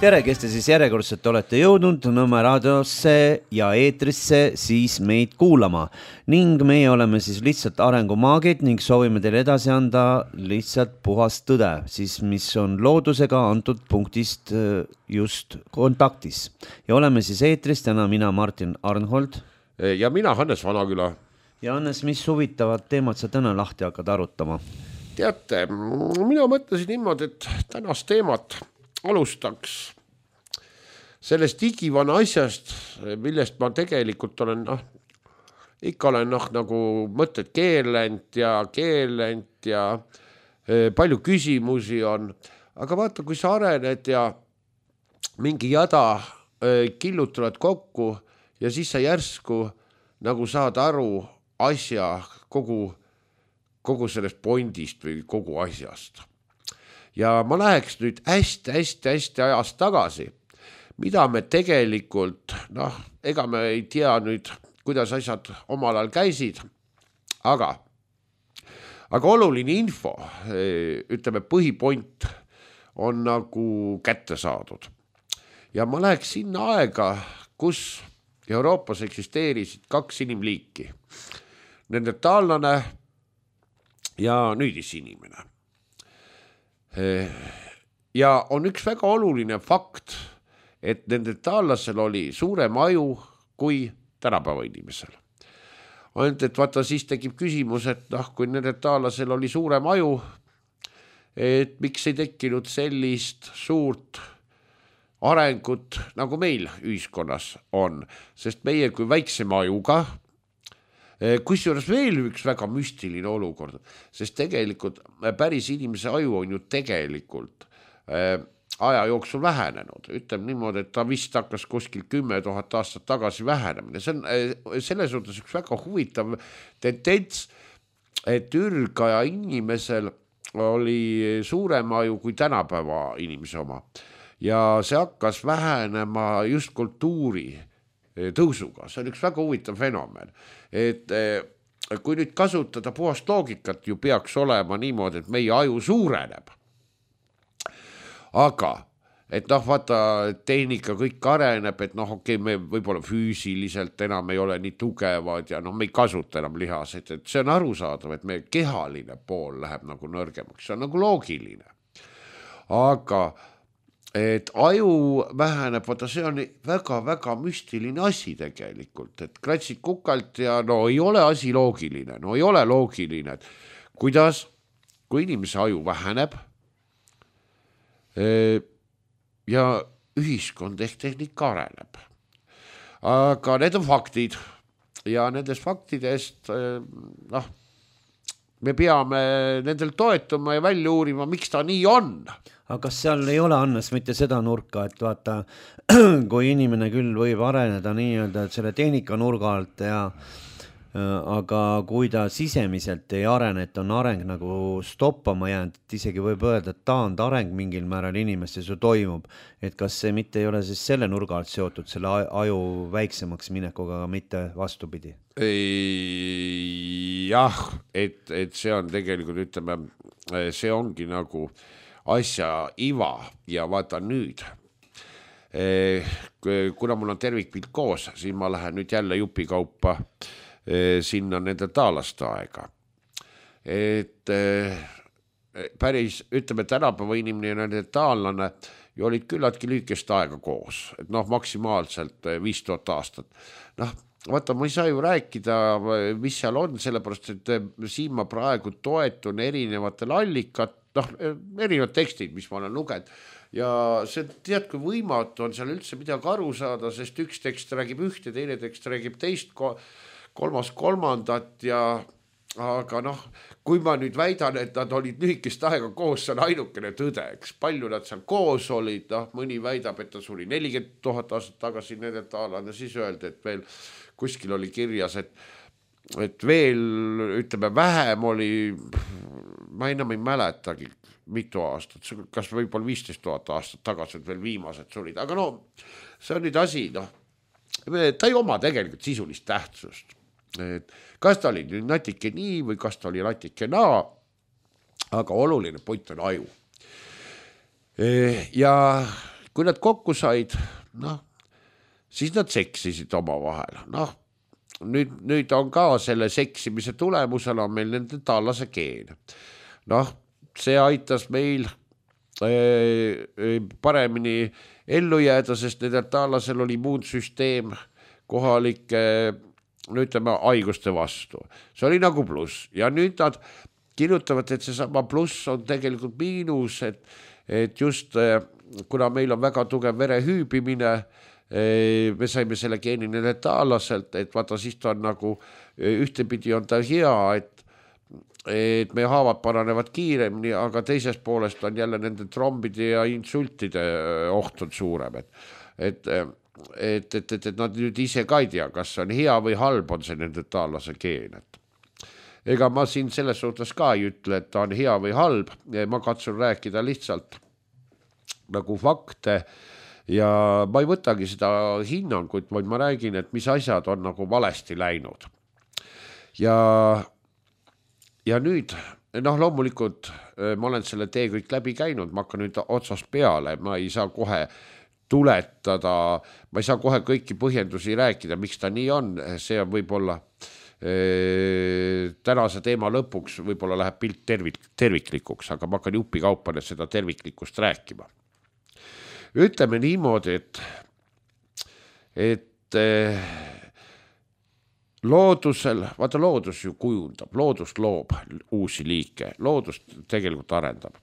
Tere, kes te siis järjekordselt olete jõudnud Nõmme raadiosse ja eetrisse siis meid kuulama. Ning meie oleme siis lihtsalt arengumaagid ning soovime teile edasi anda lihtsalt puhast tõde, siis mis on loodusega antud punktist just kontaktis. Ja oleme siis eetris täna mina Martin Arnhold. Ja mina Hannes Vanaküla. Ja Hannes, mis huvitavad teemad sa täna lahti hakkad arutama? Teate, mina mõtlesin niimoodi, et tänast teemat alustaks sellest igivana asjast, millest ma tegelikult olen, ikka olen nagu mõtted keelend ja palju küsimusi on. Aga vaata, kui sa arened ja mingi jada killutavad kokku ja siis sa järsku nagu saad aru asja kogu sellest pointist või kogu asjast. Ja ma läheks nüüd hästi ajast tagasi, mida me tegelikult, ega me ei tea nüüd, kuidas asjad omal ajal käisid, aga oluline info, ütleme põhipoint on nagu kätte saadud. Ja ma läheks sinna aega, kus Euroopas eksisteerisid kaks inimliiki, neandertaallane ja nüüdisinimene. Ja on üks väga oluline fakt, et neandertaallasel oli suurem aju kui tänapäeva inimesel. Ainult, et vaata, siis tekib küsimus, et kui neandertaallasel oli suurem aju, et miks ei tekkinud sellist suurt arengut, nagu meil ühiskonnas on, sest meie kui väiksema ajuga, kusjuures veel üks väga müstiline olukord, sest tegelikult päris inimese aju on ju tegelikult aja jooksul vähenenud. Ütleme niimoodi, et ta vist hakkas kuskil 10 000 aastat tagasi vähenemine. See on selles suhtes üks väga huvitav tendents, et ürgaja inimesel oli suurem aju kui tänapäeva inimese oma. Ja see hakkas vähenema just kultuuri tõusuga. See on üks väga huvitav fenomen. Et kui nüüd kasutada puhast loogikat, ju peaks olema niimoodi, et meie aju suureneb. Aga, et vaata, tehnika kõik areneb, et okei, me võib-olla füüsiliselt enam ei ole nii tugevad ja me ei kasuta enam lihaseid, et see on arusaadav, et meie kehaline pool läheb nagu nõrgemaks, see on nagu loogiline. Aga et aju väheneb, vaata, see on väga müstiline asi tegelikult, et kratsid kukalt ja ei ole asi loogiline, ei ole loogiline, et kuidas, kui inimese aju väheneb ja ühiskond ehk tehnika areneb. Aga need on faktid ja nendest faktidest me peame nendel toetuma ja välja uurima, miks ta nii on. Aga kas seal ei ole, Hannes, mitte seda nurka, et vaata, kui inimene küll võib areneda nii-öelda selle tehnika nurga alt aga kui ta sisemiselt ei arene, et on areng nagu stoppama jäänud, et isegi võib öelda, et taandareng mingil määral inimestes ju toimub, et kas see mitte ei ole siis selle nurga alt seotud selle aju väiksemaks minekuga, aga mitte vastupidi? Jah, et see on tegelikult, ütleme, see ongi nagu asja iva ja vaata nüüd. Kuna mul on tervikpilt koos, siis ma lähen nüüd jälle jupikaupa sinna neandertaalaste aega. Et päris, ütleme, tänapäeva inimene ja neandertaallane ju olid küllaltki lühikest aega koos, et maksimaalselt 5000 aastat. Vaata, ma ei saa ju rääkida, mis seal on, sellepärast, et siin ma praegu toetun erinevatel allikat, erinevad tekstid, mis ma olen lugenud. Ja see tead, kui võimatu on seal üldse midagi aru saada, sest üks tekst räägib ühte, teine tekst räägib teist, kolmas kolmandat aga kui ma nüüd väidan, et nad olid lühikest aega koos, see on ainukene tõde, eks palju nad seal koos olid, mõni väidab, et ta suri 40 000 aastat tagasi neandertaalane, siis öeldi, et veel kuskil oli kirjas, et veel, ütleme, vähem oli, ma enam ei mäletagi mitu aastat, kas võib-olla 15 000 aastat tagasi veel viimased surid, aga see on nüüd asi, ta ei oma tegelikult sisulist tähtsust. Et kas ta oli natuke nii või kas ta oli natuke naa, aga oluline point on aju. Ja kui nad kokku said, siis nad seksisid oma vahel. Nüüd on ka selle seksimise tulemusena on meil nende taallase geen. See aitas meil paremini ellu jääda, sest nendel taallasel oli immuunsüsteem kohalike haiguste vastu. See oli nagu pluss ja nüüd nad kirjutavad, et see sama pluss on tegelikult miinus, et just kuna meil on väga tugev verehüübimine, me saime selle geeni nende taalaselt, et vaata siis ta on nagu ühtepidi on ta hea, et meie haavad paranevad kiiremini, aga teisest poolest on jälle nende trombide ja insultide oht on suurem, et nad nüüd ise ka ei tea, kas on hea või halb on see nende taallase geen. Ega ma siin selles suhtes ka ei ütle, et ta on hea või halb, ma katsun rääkida lihtsalt nagu fakte ja ma ei võtagi seda hinnangut, vaid ma räägin, et mis asjad on nagu valesti läinud. Ja nüüd, loomulikult ma olen selle tee kõik läbi käinud, ma hakkan nüüd otsast peale, ma ei saa kohe tuletada, ma ei saa kohe kõiki põhjendusi rääkida, miks ta nii on, see on võib-olla tänase teema lõpuks võib-olla läheb pilt terviklikuks, aga ma hakkan jupikaupa seda terviklikkust rääkima. Ütleme niimoodi, et loodusel, vaata loodus ju kujundab, loodus loob uusi liike, loodus tegelikult arendab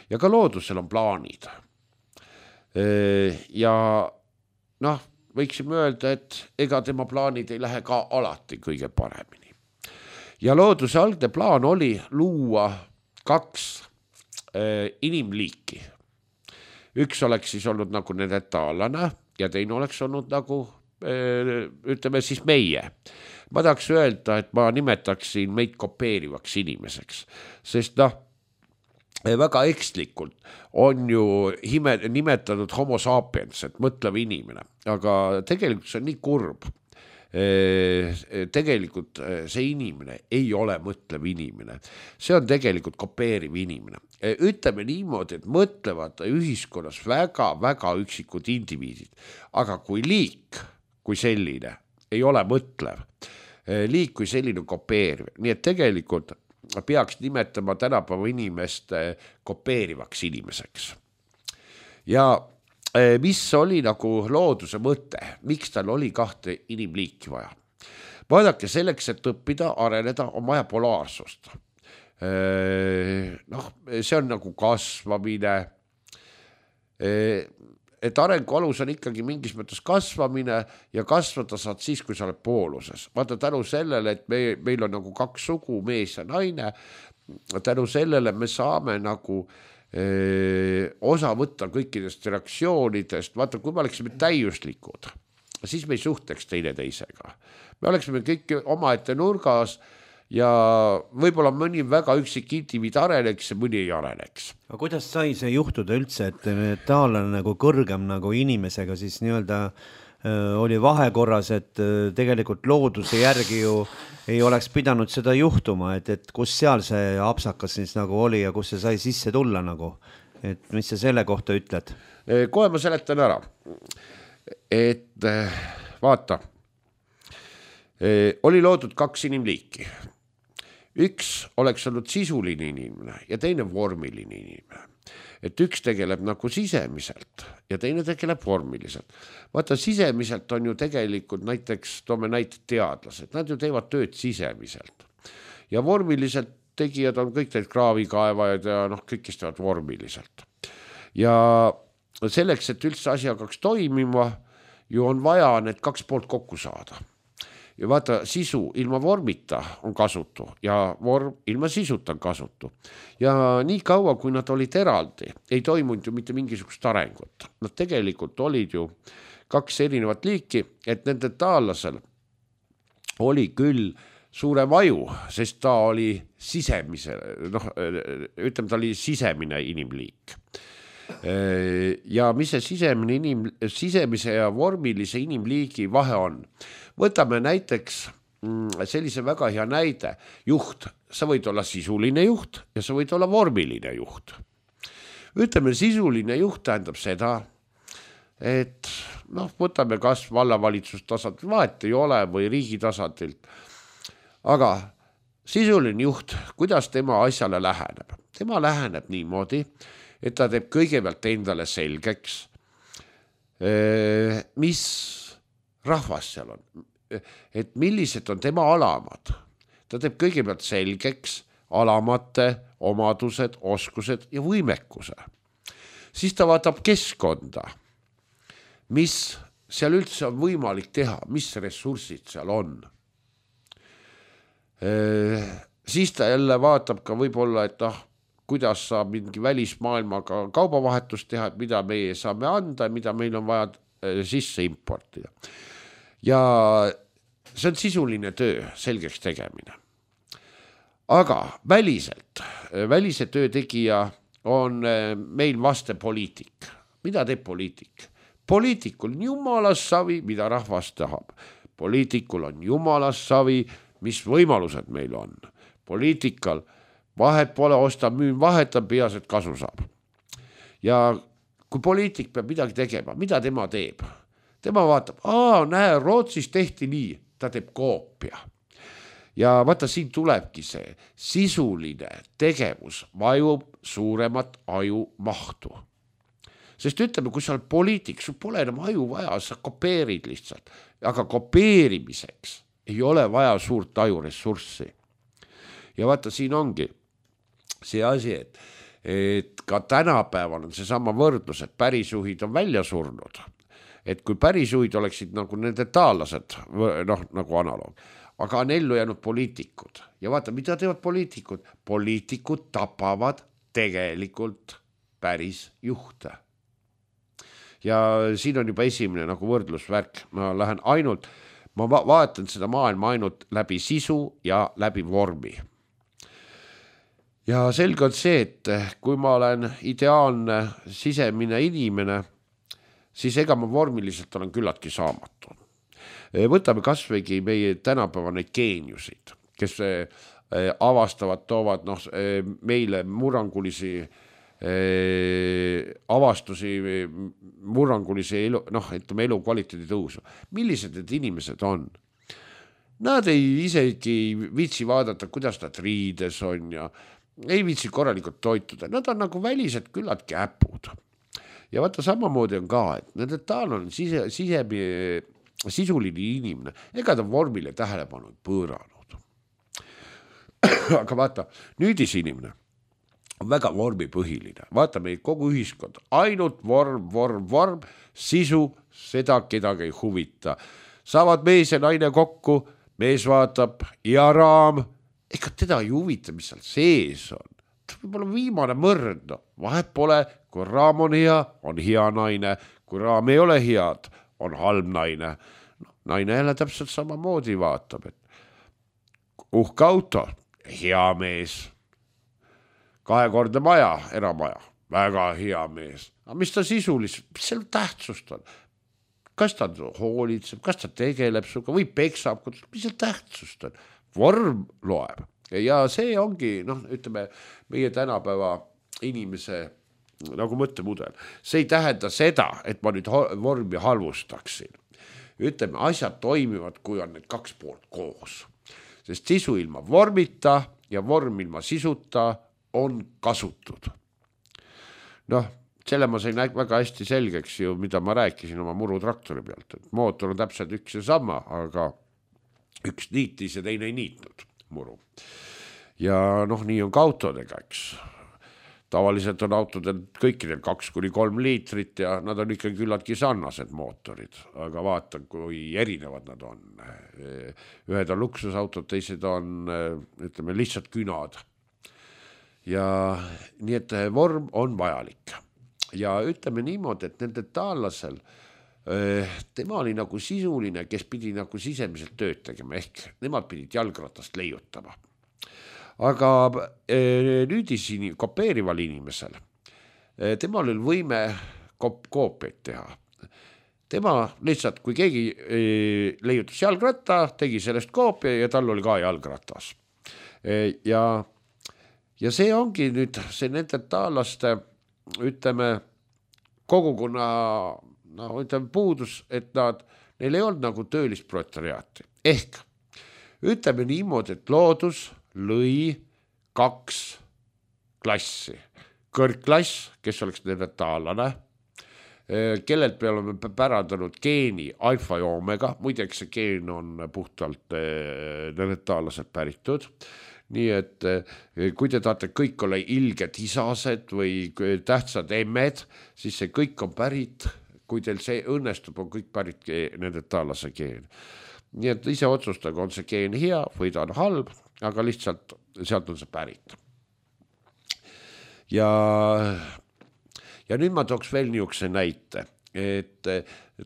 ja ka loodusel on plaanid. Ja võiksime öelda, et ega tema plaanid ei lähe ka alati kõige paremini. Ja looduse algne plaan oli luua 2 inimliiki. Üks oleks siis olnud nagu nende taallane ja teine oleks olnud nagu, ütleme siis meie. Ma tahaks öelda, et ma nimetaksin meid kopeerivaks inimeseks, sest väga ekslikult on ju nimetatud homo sapiens, et mõtlev inimene, aga tegelikult see on nii kurb. Tegelikult see inimene ei ole mõtlev inimene, see on tegelikult kopeeriv inimene. Ütleme niimoodi, et mõtlevad ühiskonnas väga üksikud indiviidid, aga kui liik, kui selline, ei ole mõtlev, liik kui selline kopeeriv, nii et tegelikult peaks nimetama tänapäeva inimest kopeerivaks inimeseks. Ja mis oli nagu looduse mõte, miks tal oli 2 inimliiki vaja? Vaadake, selleks, et õppida, areneda, on vaja polaarsust. See on nagu kasvamine, et arengu alus on ikkagi mingis mõttes kasvamine ja kasvada saad siis, kui sa oled pooluses. Vaata tänu sellele, et meil on nagu 2 sugu, mees ja naine, tänu sellele me saame nagu osa võtta kõikidest reaktsioonidest. Vaata, kui me oleksime täiuslikud, siis me ei suhteks teineteisega. Me oleksime kõik omaette nurgas ja võib-olla mõni väga üksik indiviid areneks ja mõni ei areneks. Aga kuidas sai see juhtuda üldse, et taallane nagu kõrgem nagu inimesega siis nii-öelda oli vahekorras, et tegelikult looduse järgi ju ei oleks pidanud seda juhtuma, et kus seal see apsakas siis nagu oli ja kus see sai sisse tulla nagu, et mis sa selle kohta ütled? Kohe ma seletan ära, et vaata, oli loodud 2 inimliiki. Üks oleks olnud sisuline inimene ja teine vormiline inimene. Et üks tegeleb nagu sisemiselt ja teine tegeleb vormiliselt. Vaata, sisemiselt on ju tegelikult näiteks, toome näiteks teadlased, nad ju teevad tööd sisemiselt. Ja vormiliselt tegijad on kõik need kraavikaevajad ja kõik kes teevad vormiliselt. Ja selleks, et üldse asi hakkaks toimima, ju on vaja need 2 poolt kokku saada. Ja vaata, sisu ilma vormita on kasutu ja vorm ilma sisuta on kasutu. Ja nii kaua, kui nad olid eraldi, ei toimunud ju mitte mingisugust arengut. Nad tegelikult olid ju 2 erinevat liiki, et nende taallasel oli küll suurem aju, sest ta oli sisemise, ütleme, ta oli sisemine inimliik. Ja mis see sisemise ja vormilise inimliigi vahe on? Võtame näiteks sellise väga hea näide. Juht, sa võid olla sisuline juht ja sa võid olla vormiline juht. Ütleme, sisuline juht tähendab seda, et noh, võtame kas vallavalitsus tasandil, vahet ei ole, või riigi tasandilt. Aga sisuline juht, kuidas tema asjale läheneb? Tema läheneb niimoodi, et ta teeb kõigepealt endale selgeks, mis rahvas seal on, et millised on tema alamad. Ta teeb kõigepealt selgeks alamate omadused, oskused ja võimekuse. Siis ta vaatab keskkonda, mis seal üldse on võimalik teha, mis ressursid seal on. Siis ta jälle vaatab ka võib-olla, et kuidas saab mingi välismaailmaga kaubavahetust teha, et mida meie saame anda ja mida meil on vaja sisse importida. Ja see on sisuline töö, selgeks tegemine. Aga välise töö tegija on meil vaste poliitik. Mida teeb poliitik? Poliitikul on jumalas savi, mida rahvas tahab. Poliitikul on jumalas savi, mis võimalused meil on. Poliitikal vahet pole, ostab, müün, vahetab, peas, et kasu saab. Ja kui poliitik peab midagi tegema, mida tema teeb? Tema vaatab, näe, Rootsis tehti nii, ta teeb koopia. Ja vaata, siin tulebki see sisuline tegevus vajub suuremat aju mahtu. Sest ütleme, kui sa oled poliitik, sul pole enam aju vaja, sa kopeerid lihtsalt. Aga kopeerimiseks ei ole vaja suurt ajuressurssi. Ja vaata, siin ongi see asi, et ka tänapäeval on seesama võrdlus, et pärisjuhid on välja surnud. Et kui pärisjuhid oleksid nagu nende taallased, nagu analoog, aga on ellu jäänud poliitikud. Ja vaata, mida teevad poliitikud? Poliitikud tapavad tegelikult päris juhte. Ja siin on juba esimene nagu võrdlusvärk. Ma vaatan seda maailma ainult läbi sisu ja läbi vormi. Ja selge on see, et kui ma olen ideaalne sisemine inimene, siis ega ma vormiliselt olen küllaltki saamatu. Võtame kasvõigi meie tänapäeva neid geeniusid, kes avastavad, toovad meile murrangulisi avastusi, murrangulisi elu kvaliteedi tõusu. Millised need inimesed on? Nad ei isegi viitsi vaadata, kuidas nad riides on ja ei viitsi korralikult toituda. Nad on nagu välised küllaltki äpud. Ja vaata, samamoodi on ka, et nende taal on sisuline inimene, ega ta vormile tähelepanu pööranud. Aga vaata, nüüdis inimene on väga vormipõhiline. Vaata, meil kogu ühiskond, ainult vorm, sisu, seda kedagi ei huvita. Saavad mees ja naine kokku, mees vaatab ja raam, ega teda ei huvita, mis seal sees on. Võib-olla viimane mõrd, vahet pole, kui raam on hea naine, kui raam ei ole head, on halb naine. Naine jälle täpselt samamoodi vaatab, et uhke auto, hea mees, 2-kordne maja, eramaja, väga hea mees. Aga mis ta sisuliselt, mis seal tähtsust on? Kas ta hoolitseb, kas ta tegeleb suga või peksab, mis seal tähtsust on? Vorm loeb. Ja see ongi, ütleme, meie tänapäeva inimese nagu mõttemudel. See ei tähenda seda, et ma nüüd vormi halvustaksin. Ütleme, asjad toimivad, kui on need 2 poolt koos. Sest sisu ilma vormita ja vorm ilma sisuta on kasutud. Selle ma sain väga hästi selgeks ju, mida ma rääkisin oma murutraktori pealt. Et mootor on täpselt üks ja sama, aga üks niitis ja teine ei niitnud muru. Ja nii on ka autodega, eks. Tavaliselt on autodel kõikidel 2-3 liitrit ja nad on ikka küllaltki sarnased mootorid, aga vaata, kui erinevad nad on. Ühed on luksusautod, teised on, ütleme, lihtsalt künad. Ja nii, et vorm on vajalik. Ja ütleme niimoodi, et nende taallasel, tema oli nagu sisuline, kes pidi nagu sisemiselt tööd tegema, ehk nemad pidid jalgratast leiutama. Aga nüüdis kopeerival inimesel, temal oli võime koopiaid teha. Tema lihtsalt, kui keegi leiutas jalgratta, tegi sellest koopia ja tal oli ka jalgratas. Ja see ongi nüüd see nende taallaste, ütleme, kogukonna no ütleme puudus, et neil ei olnud nagu töölist proletariaati. Ehk ütleme niimoodi, et loodus lõi 2 klassi. Kõrgklass, kes oleks neandertaallane, kellelt me oleme pärandanud geeni alfa ja omega, muideks see geen on puhtalt neandertaallaselt päritud. Nii et kui te tahate kõik olla ilged isased või tähtsad emmed, siis see kõik on pärit, kui teil see õnnestub, on kõik pärit neandertaallase geen. Nii et ise otsustage, on see geen hea või ta on halb, aga lihtsalt sealt on see pärit. Ja nüüd ma tooks veel niisuguse näite, et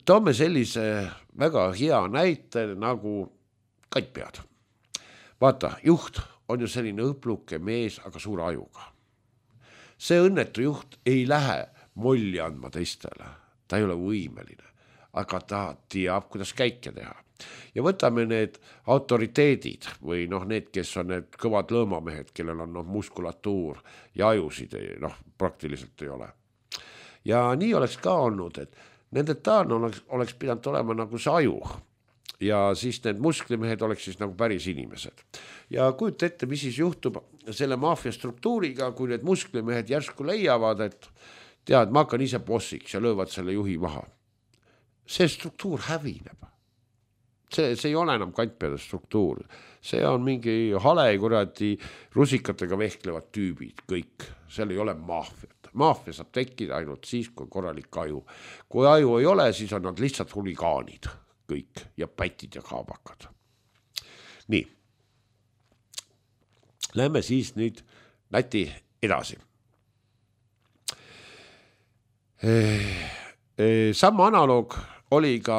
toome sellise väga hea näite nagu kattpead. Vaata, juht on ju selline õpluke mees, aga suure ajuga. See õnnetu juht ei lähe molli andma teistele, ta ei ole võimeline, aga ta teab, kuidas käike teha. Ja võtame need autoriteedid või need, kes on need kõvad lõõmamehed, kellel on muskulatuur ja ajusid praktiliselt ei ole. Ja nii oleks ka olnud, et neandertaalne oleks pidanud olema nagu see aju ja siis need musklimehed oleks siis nagu päris inimesed. Ja kujuta ette, mis siis juhtub selle maafia struktuuriga, kui need musklimehed järsku leiavad, et tead, ma hakkan ise bossiks ja löövad selle juhi maha. See struktuur hävineb. See ei ole enam kantpeade struktuur. See on mingi hale kuradi rusikatega vehklevad tüübid, kõik. Seal ei ole maafiat. Maafia saab tekkida ainult siis, kui korralik aju. Kui aju ei ole, siis on nad lihtsalt huligaanid kõik ja pätid ja kaabakad. Nii. Lähme siis nüüd näti edasi. Sama analoog oli ka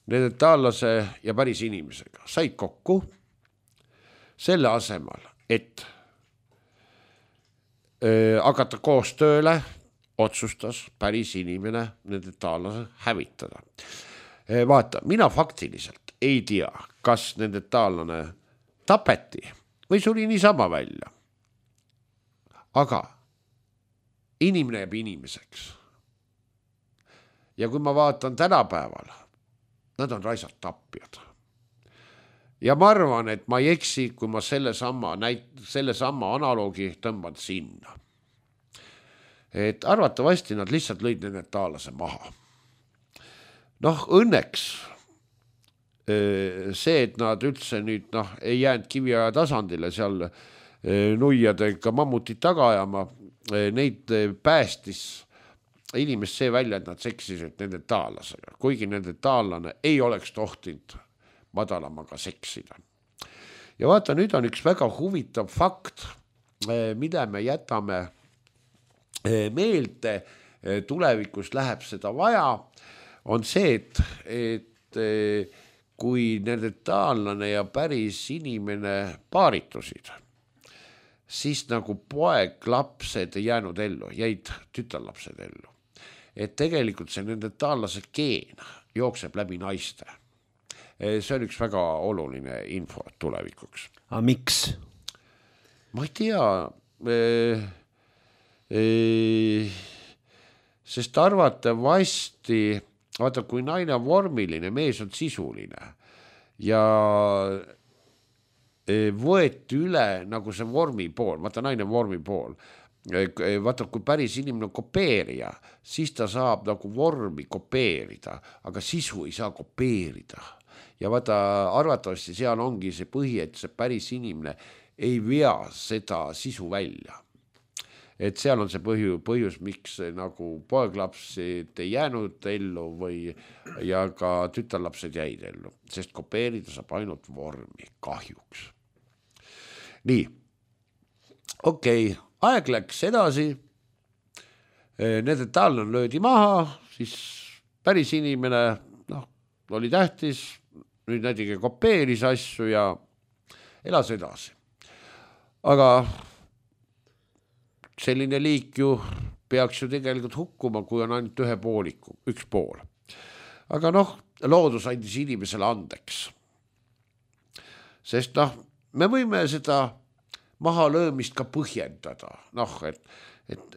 neandertaallase ja päris inimesega. Said kokku selle asemel, et hakata koos tööle, otsustas päris inimene neandertaallase hävitada. Vaata, mina faktiliselt ei tea, kas neandertaallane tapeti või suri niisama välja. Aga inimene jääb inimeseks. Ja kui ma vaatan tänapäeval, nad on raisad tapjad. Ja ma arvan, et ma ei eksi, kui ma selle sama analoogi tõmban sinna. Et arvatavasti nad lihtsalt lõid neandertaallase maha. Õnneks see, et nad üldse nüüd ei jäänud kiviaja tasandile seal nuiadega mammutit taga ajama, neid päästis inimest see välja, et nad seksisid neandertaallasega, kuigi neandertaallane ei oleks tohtinud madalamaga seksida. Ja vaata, nüüd on üks väga huvitav fakt, mida me jätame meelde, tulevikus läheb seda vaja, on see, et kui neandertaallane ja päris inimene paaritusid, siis nagu poeg-lapsed ei jäänud ellu, jäid tütarlapsed ellu. Et tegelikult see neandertaallase geen jookseb läbi naiste. See on üks väga oluline info tulevikuks. Aga miks? Ma ei tea, sest arvatavasti, vaata, kui naine on vormiline, mees on sisuline ja võeti üle nagu see vormi pool, vaata naine on vormi pool, vaata kui päris inimene on kopeerija, siis ta saab nagu vormi kopeerida, aga sisu ei saa kopeerida. Ja vaata arvatavasti seal ongi see põhi, et see päris inimene ei vea seda sisu välja. Et seal on see põhjus, miks nagu poeglapsed ei jäänud ellu ja ka tütarlapsed jäid ellu, sest kopeerida saab ainult vormi kahjuks. Nii, okei, aeg läks edasi, neandertaalne löödi maha, siis päris inimene oli tähtis, nüüd näiteks kopeeris asju ja elas edasi. Aga selline liik ju peaks ju tegelikult hukkuma, kui on ainult üks pool. Aga loodus andis inimesele andeks. Sest me võime seda mahalöömist ka põhjendada.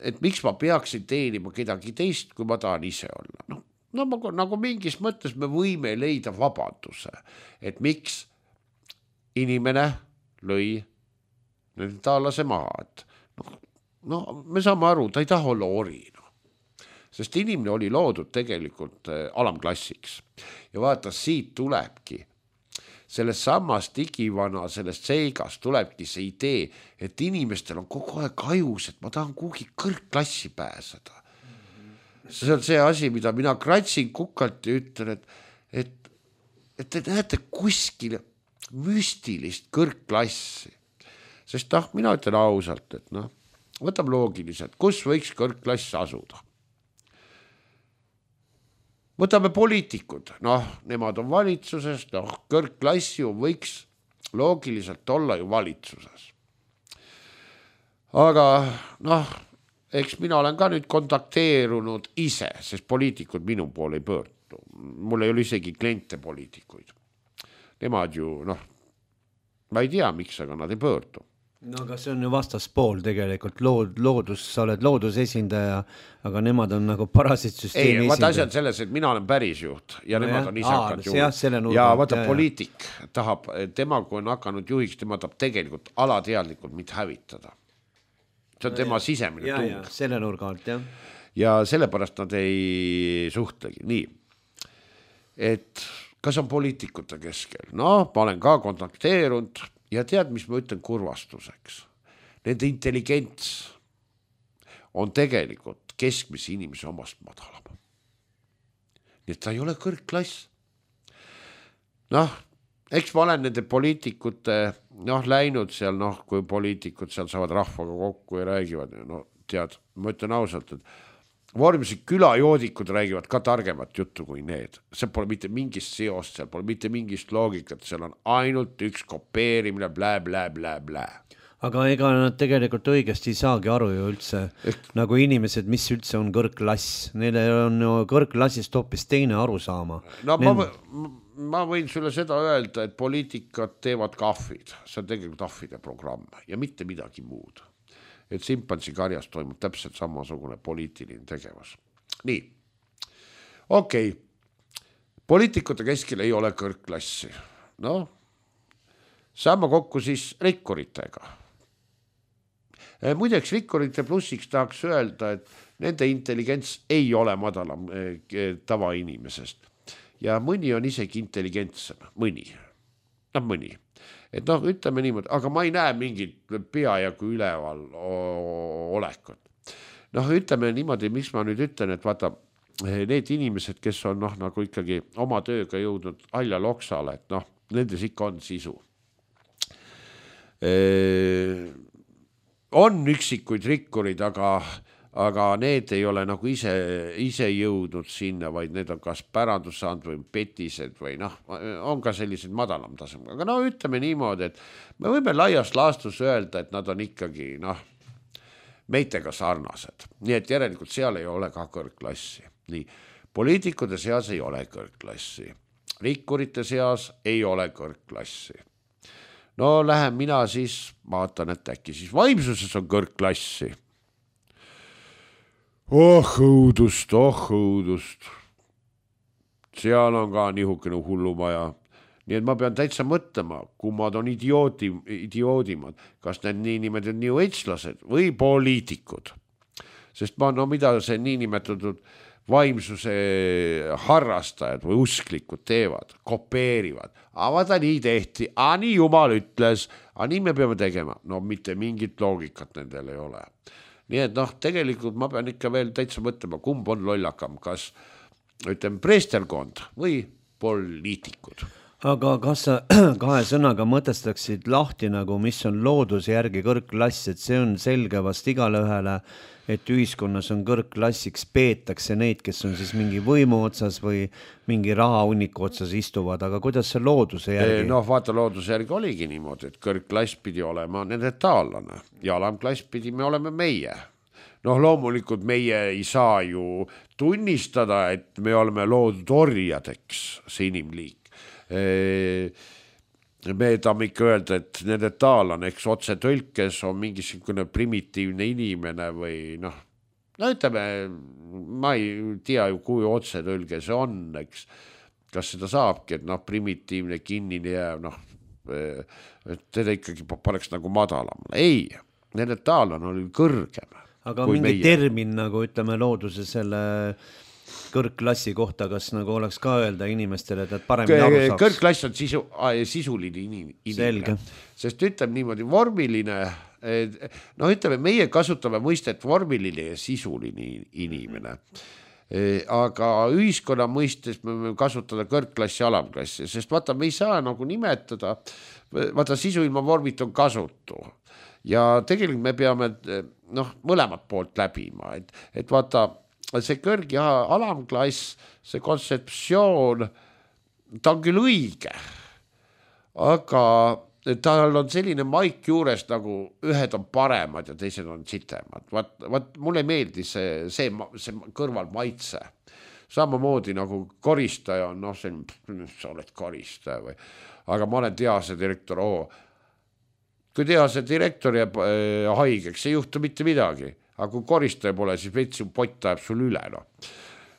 et miks ma peaksin teenima kedagi teist, kui ma tahan ise olla. Nagu mingis mõttes me võime leida vabanduse, et miks inimene lõi nende taallase maha, et me saame aru, ta ei taha olla ori, sest inimene oli loodud tegelikult alamklassiks ja vaata, siit tulebki sellest samast igivana, sellest seigast tulebki see idee, et inimestel on kogu aeg ajus, et ma tahan kuhugi kõrgklassi pääseda. See on see asi, mida mina kratsin kukalt ja ütlen, et te näete kuskil müstilist kõrgklassi. Sest mina ütlen ausalt, et võtab loogiliselt, kus võiks kõrgklass asuda. Võtame poliitikud, nemad on valitsuses, kõrgklass ju võiks loogiliselt olla ju valitsuses. Aga eks mina olen ka nüüd kontakteerunud ise, sest poliitikud minu poole ei pöördu. Mul ei ole isegi kliente poliitikuid. Nemad ju, ma ei tea, miks, aga nad ei pöördu. Aga see on ju vastaspool tegelikult, loodus, sa oled loodusesindaja, aga nemad on nagu parasitsüsteemi esindaja. Vaata asjad selles, et mina olen pärisjuht ja nemad on isakad juhid. Ja vaata poliitik tahab, tema kui on hakanud juhiks, tema tahab tegelikult alateadlikult mitte hävitada. See on tema sisemine tung. Ja, selle nurga alt, jah. Ja sellepärast nad ei suhtlegi. Nii, et kas on poliitikute keskel? Ma olen ka kontakteerunud ja tead, mis ma ütlen kurvastuseks. Nende intelligents on tegelikult keskmise inimese omast madalam. Nii et ta ei ole kõrgklass. Eks ma olen nende poliitikute läinud seal, kui poliitikud seal saavad rahvaga kokku ja räägivad. Tead, ma ütlen ausalt, et vormiliselt külajoodikud räägivad ka targemat juttu kui need. See pole mitte mingist seost, seal pole mitte mingist loogikat, seal on ainult üks kopeerimine, blä. Aga ega nad tegelikult õigesti ei saagi aru ju üldse, nagu inimesed, mis üldse on kõrgklass. Neile on ju kõrgklassist hoopis teine aru saama. Ma võin sulle seda öelda, et poliitikat teevad kahvid. See on tegelikult ahvide programm ja mitte midagi muud. Et simpansi karjas toimub täpselt samasugune poliitiline tegevus. Nii, okei. Poliitikute keskel ei ole kõrgklassi. Saame kokku siis rikkuritega. Muideks rikkurite plussiks tahaks öelda, et nende intelligents ei ole madalam tavainimesest. Ja mõni on isegi intelligentsem. Mõni. Et ütleme niimoodi, aga ma ei näe mingit peajagu üleval olekut. Ütleme niimoodi, miks ma nüüd ütlen, et vaata, need inimesed, kes on nagu ikkagi oma tööga jõudnud halja loksale, et nendes ikka on sisu. On üksikuid rikkurid, aga need ei ole nagu ise jõudnud sinna, vaid need on kas pärandus saanud või petised või on ka sellised madalam tasem. Aga ütleme niimoodi, et me võime laias laastus öelda, et nad on ikkagi meitega sarnased. Nii et järelikult seal ei ole ka kõrgklassi. Nii, poliitikute seas ei ole kõrgklassi. Rikkurite seas ei ole kõrgklassi. Lähen mina siis, vaatan, et äkki siis vaimsuses on kõrgklassi. Oh õudust. Seal on ka nihukene hullumaja. Nii et ma pean täitsa mõtlema, kummad on idioodimad, kas need niinimetatud new age-lased või poliitikud. Sest mida see niinimetatud vaimsuse harrastajad või usklikud teevad, kopeerivad. Vaata nii tehti, nii jumal ütles, nii me peame tegema. Mitte mingit loogikat nendel ei ole. Nii et tegelikult ma pean ikka veel täitsa mõtlema, kumb on lollakam, kas preesterkond või poliitikud. Aga kas sa kahe sõnaga mõtestaksid lahti nagu, mis on looduse järgi kõrgklass, et see on selge vast igale ühele, et ühiskonnas on kõrgklassiks, peetakse neid, kes on siis mingi võimu otsas või mingi rahahunniku otsas istuvad, aga kuidas see looduse järgi? Vaata, looduse järgi oligi niimoodi, et kõrgklass pidi olema nende taallane ja alamklass pidi me oleme meie. Loomulikult meie ei saa ju tunnistada, et me oleme loodud orjadeks, see inimliik. me tahame ikka öelda, et neandertaallane, eks otse tõlkes on mingisugune primitiivne inimene või noh, no ütleme, ma ei tea ju, kui otse tõlge see on, eks, kas seda saabki, et noh, primitiivne kinnine jääv, noh, teda ikkagi paneks nagu madalam. Ei, neandertaallane oli kõrgem. Aga mingi termin nagu ütleme looduse selle kõrgklassi kohta, kas nagu oleks ka öelda inimestele, et paremini aru saaks? Kõrgklass on sisuline inimene. Selge. Sest ütleme niimoodi, vormiline, no ütleme, meie kasutame mõistet vormiline ja sisuline inimene. Aga ühiskonna mõistes me võime kasutada kõrgklassi ja alamklassi, sest vaata, me ei saa nagu nimetada, vaata, sisu ilma vormit on kasutu. Ja tegelikult me peame mõlemat poolt läbima, et vaata, see kõrg- ja alamklass, see kontseptsioon, ta on küll õige, aga tal on selline maik juures, nagu ühed on paremad ja teised on sitemad. Vaat mulle ei meeldi see kõrval maitse. Samamoodi nagu koristaja on, sa oled koristaja või, aga ma olen tehase direktor, kui tehase direktor jääb haigeks, ei juhtu mitte midagi. Aga kui koristaja pole, siis vetsi pott ajab sul üle.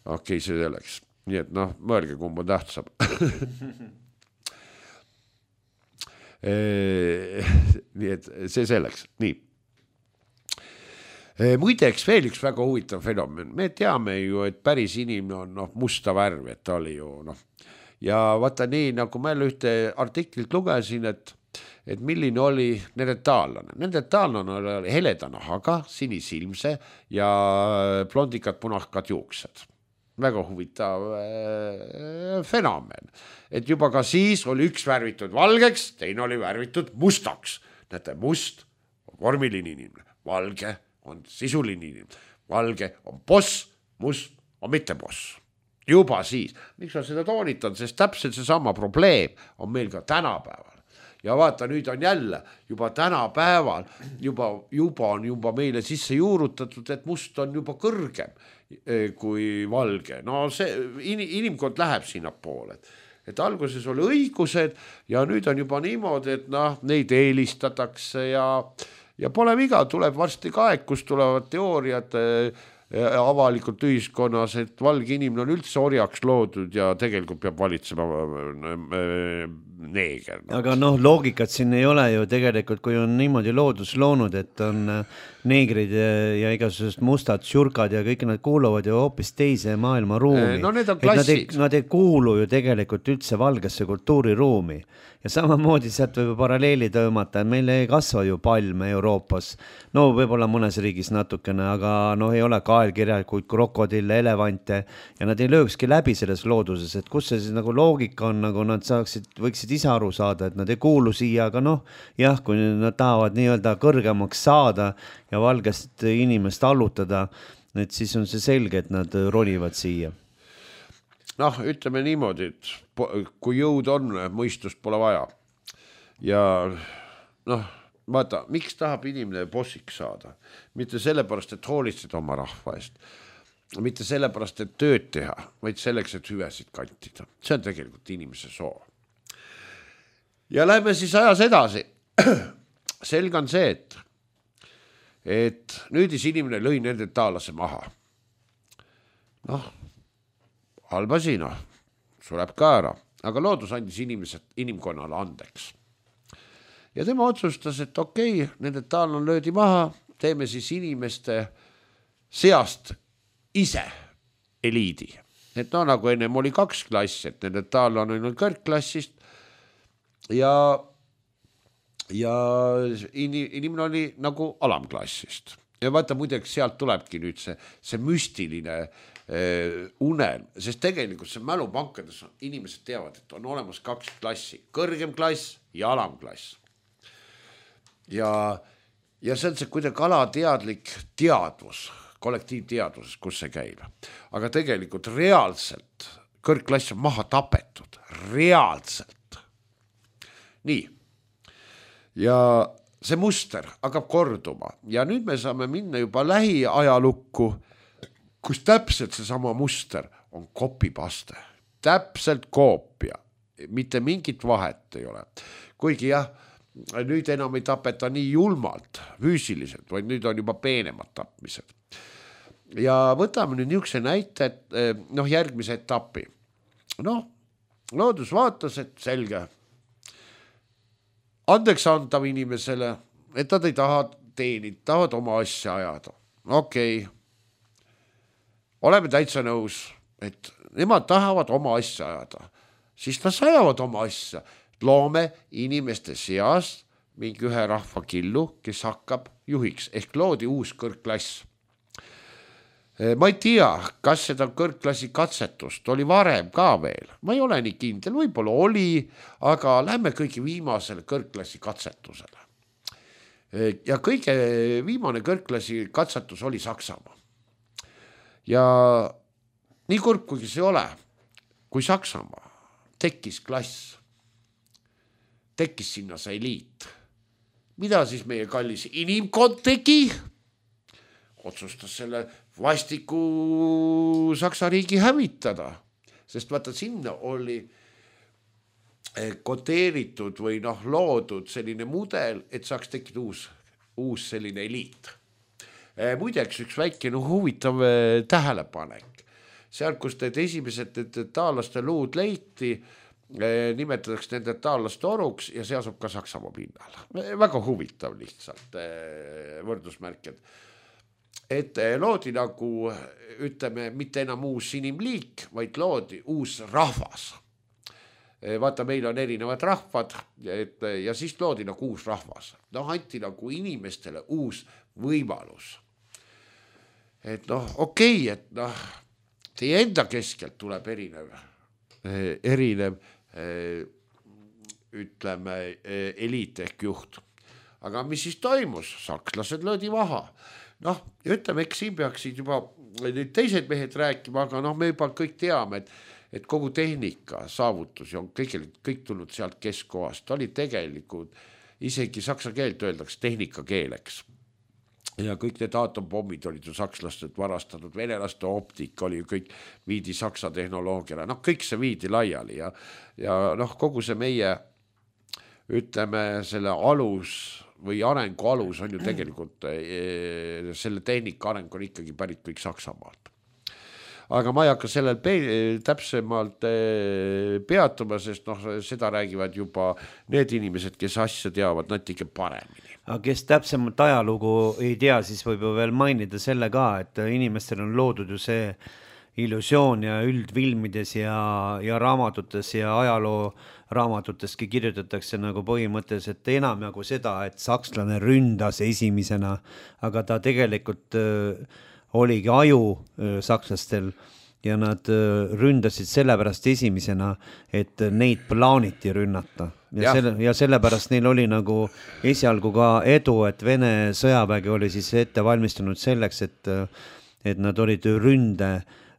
Okei, see selleks. Nii et mõelge, kumb on tähtsam. Nii et see selleks. Nii. Muideks veel üks väga huvitav fenomen. Me teame ju, et päris inimene on musta värv, et ta oli ju Ja vaata nii, nagu ma ühte artiklit lugesin, et milline oli neandertaallane. Neandertaallane oli heleda nahaga, sinisilmse ja blondikad punakad juuksed. Väga huvitav fenomen. Et juba ka siis oli üks värvitud valgeks, teine oli värvitud mustaks. Näete, must on vormiline inimene, valge on sisuline inimene, valge on boss, must on mitte boss. Juba siis. Miks on seda toonitan, sest täpselt seesama probleem on meil ka tänapäeval. Ja vaata, nüüd on jälle juba tänapäeval, juba on meile sisse juurutatud, et must on juba kõrgem kui valge. No see inimkond läheb sinna poole. Et alguses oli õigused ja nüüd on juba niimoodi, et neid eelistatakse ja pole viga, tuleb varsti ka aeg, kus tulevad teooriad avalikult ühiskonnas, et valge inimene on üldse orjaks loodud ja tegelikult peab valitsema neeger. Aga loogikat siin ei ole ju tegelikult, kui on niimoodi loodus loonud, et on neegrid ja igasugused mustad tšurkad ja kõik nad kuuluvad ju hoopis teise maailma ruumi. No need on klassid. Nad ei kuulu ju tegelikult üldse valgesse kultuuriruumi. Ja samamoodi sealt võib paralleeli tõmmata, et meil ei kasva ju palme Euroopas. No võib-olla mõnes riigis natukene, aga ei ole kaelkirjakuid, krokodille, elevante ja nad ei löökski läbi selles looduses, et kus see siis nagu loogika on, nagu nad võiksid ise aru saada, et nad ei kuulu siia, aga jah, kui nad tahavad nii-öelda kõrgemaks saada ja valgest inimest allutada, et siis on see selge, et nad ronivad siia. Ütleme niimoodi, et kui jõud on, mõistust pole vaja. Ja vaata, miks tahab inimene bossiks saada? Mitte sellepärast, et hoolitseda oma rahva eest. Mitte sellepärast, et tööd teha, vaid selleks, et hüvesid kantida. See on tegelikult inimese soov. Ja lähme siis ajas edasi. Selge on see, et nüüdis inimene lõi nende taalase maha. Halbasi, sureb ka ära, aga loodus andis inimkonnale andeks. Ja tema otsustas, et okei, nende taal on löödi maha, teeme siis inimeste seast ise eliidi. Et nagu ennem oli 2 klassi, et nende taal on ainult kõrgklassist ja inimene oli nagu alamklassist. Ja vaata, muideks sealt tulebki nüüd see müstiline unelm, sest tegelikult see mälupankades inimesed teavad, et on olemas 2 klassi, kõrgem klass ja alamklass. Ja see on see kuidagi alateadlik teadvus, kollektiivteadvuses, kus see käib. Aga tegelikult reaalselt kõrgklass on maha tapetud, reaalselt. Nii. Ja see muster hakkab korduma ja nüüd me saame minna juba lähiajalukku, kus täpselt seesama muster on kopipaste. Täpselt koopia. mitte mingit vahet ei ole. Kuigi jah, nüüd enam ei tapeta nii julmalt füüsiliselt, vaid nüüd on juba peenemad tapmised. Ja võtame nüüd niisuguse näite, et järgmise etapi. Loodus vaatas, et selge. Andeks antav inimesele, et nad ei taha teenida, tahavad oma asja ajada. Okei. Oleme täitsa nõus, et nemad tahavad oma asja ajada. Siis nad ajavad oma asja. Loome inimeste seast mingi ühe rahva killu, kes hakkab juhiks, ehk loodi uus kõrgklass. Ma ei tea, kas seda kõrgklassi katsetust oli varem ka veel. Ma ei ole nii kindel, võib-olla oli, aga lähme kõige viimasele kõrgklassi katsetusele. Ja kõige viimane kõrgklassi katsetus oli Saksamaa. Ja nii kurb, kuigi see ole, kui Saksamaa tekkis klass, tekkis sinna see eliit. Mida siis meie kallis inimkond tegi? Otsustas selle vastiku Saksa riigi hävitada, sest vaata sinna oli koteeritud või loodud selline mudel, et saaks tekkida uus selline eliit. Muideks üks väike huvitav tähelepanek. Seal, kus need esimesed taalaste luud leiti, nimetatakse nende taalaste oruks ja see asub ka Saksamaa pinnal. Väga huvitav lihtsalt võrdusmärked. Et loodi nagu, ütleme, mitte enam uus inimliik, vaid loodi uus rahvas. Vaata, meil on erinevad rahvad ja siis loodi nagu uus rahvas. Anti nagu inimestele uus võimalus. Et okei, et teie enda keskelt tuleb erinev ütleme, eliit ehk juht. Aga mis siis toimus? Sakslased löödi maha. Ütleme, eks siin peaksid juba nüüd teised mehed rääkima, aga me juba kõik teame, et kogu tehnika saavutusi on kõik tulnud sealt keskkohast. Ta oli tegelikult, isegi saksa keelt öeldakse tehnikakeeleks. Ja kõik need atompommid olid ju sakslastelt varastatud, venelaste optika oli ju kõik viidi saksa tehnoloogiale. Kõik see viidi laiali ja kogu see meie, ütleme, selle alus või arengu alus on ju tegelikult, selle tehnika areng on ikkagi pärit kõik Saksamaalt. Aga ma ei hakka sellel täpsemalt peatuma, sest seda räägivad juba need inimesed, kes asja teavad natuke paremini. Aga kes täpsemalt ajalugu ei tea, siis võib ju veel mainida selle ka, et inimestel on loodud ju see illusioon ja üldfilmides ja raamatutes ja ajaloo raamatutestki kirjutatakse nagu põhimõtteliselt enam nagu seda, et sakslane ründas esimesena, aga ta tegelikult oligi aju sakslastel ja nad ründasid sellepärast esimesena, et neid plaaniti rünnata. Ja sellepärast neil oli nagu esialgu ka edu, et Vene sõjavägi oli siis ette valmistunud selleks, et nad olid ründe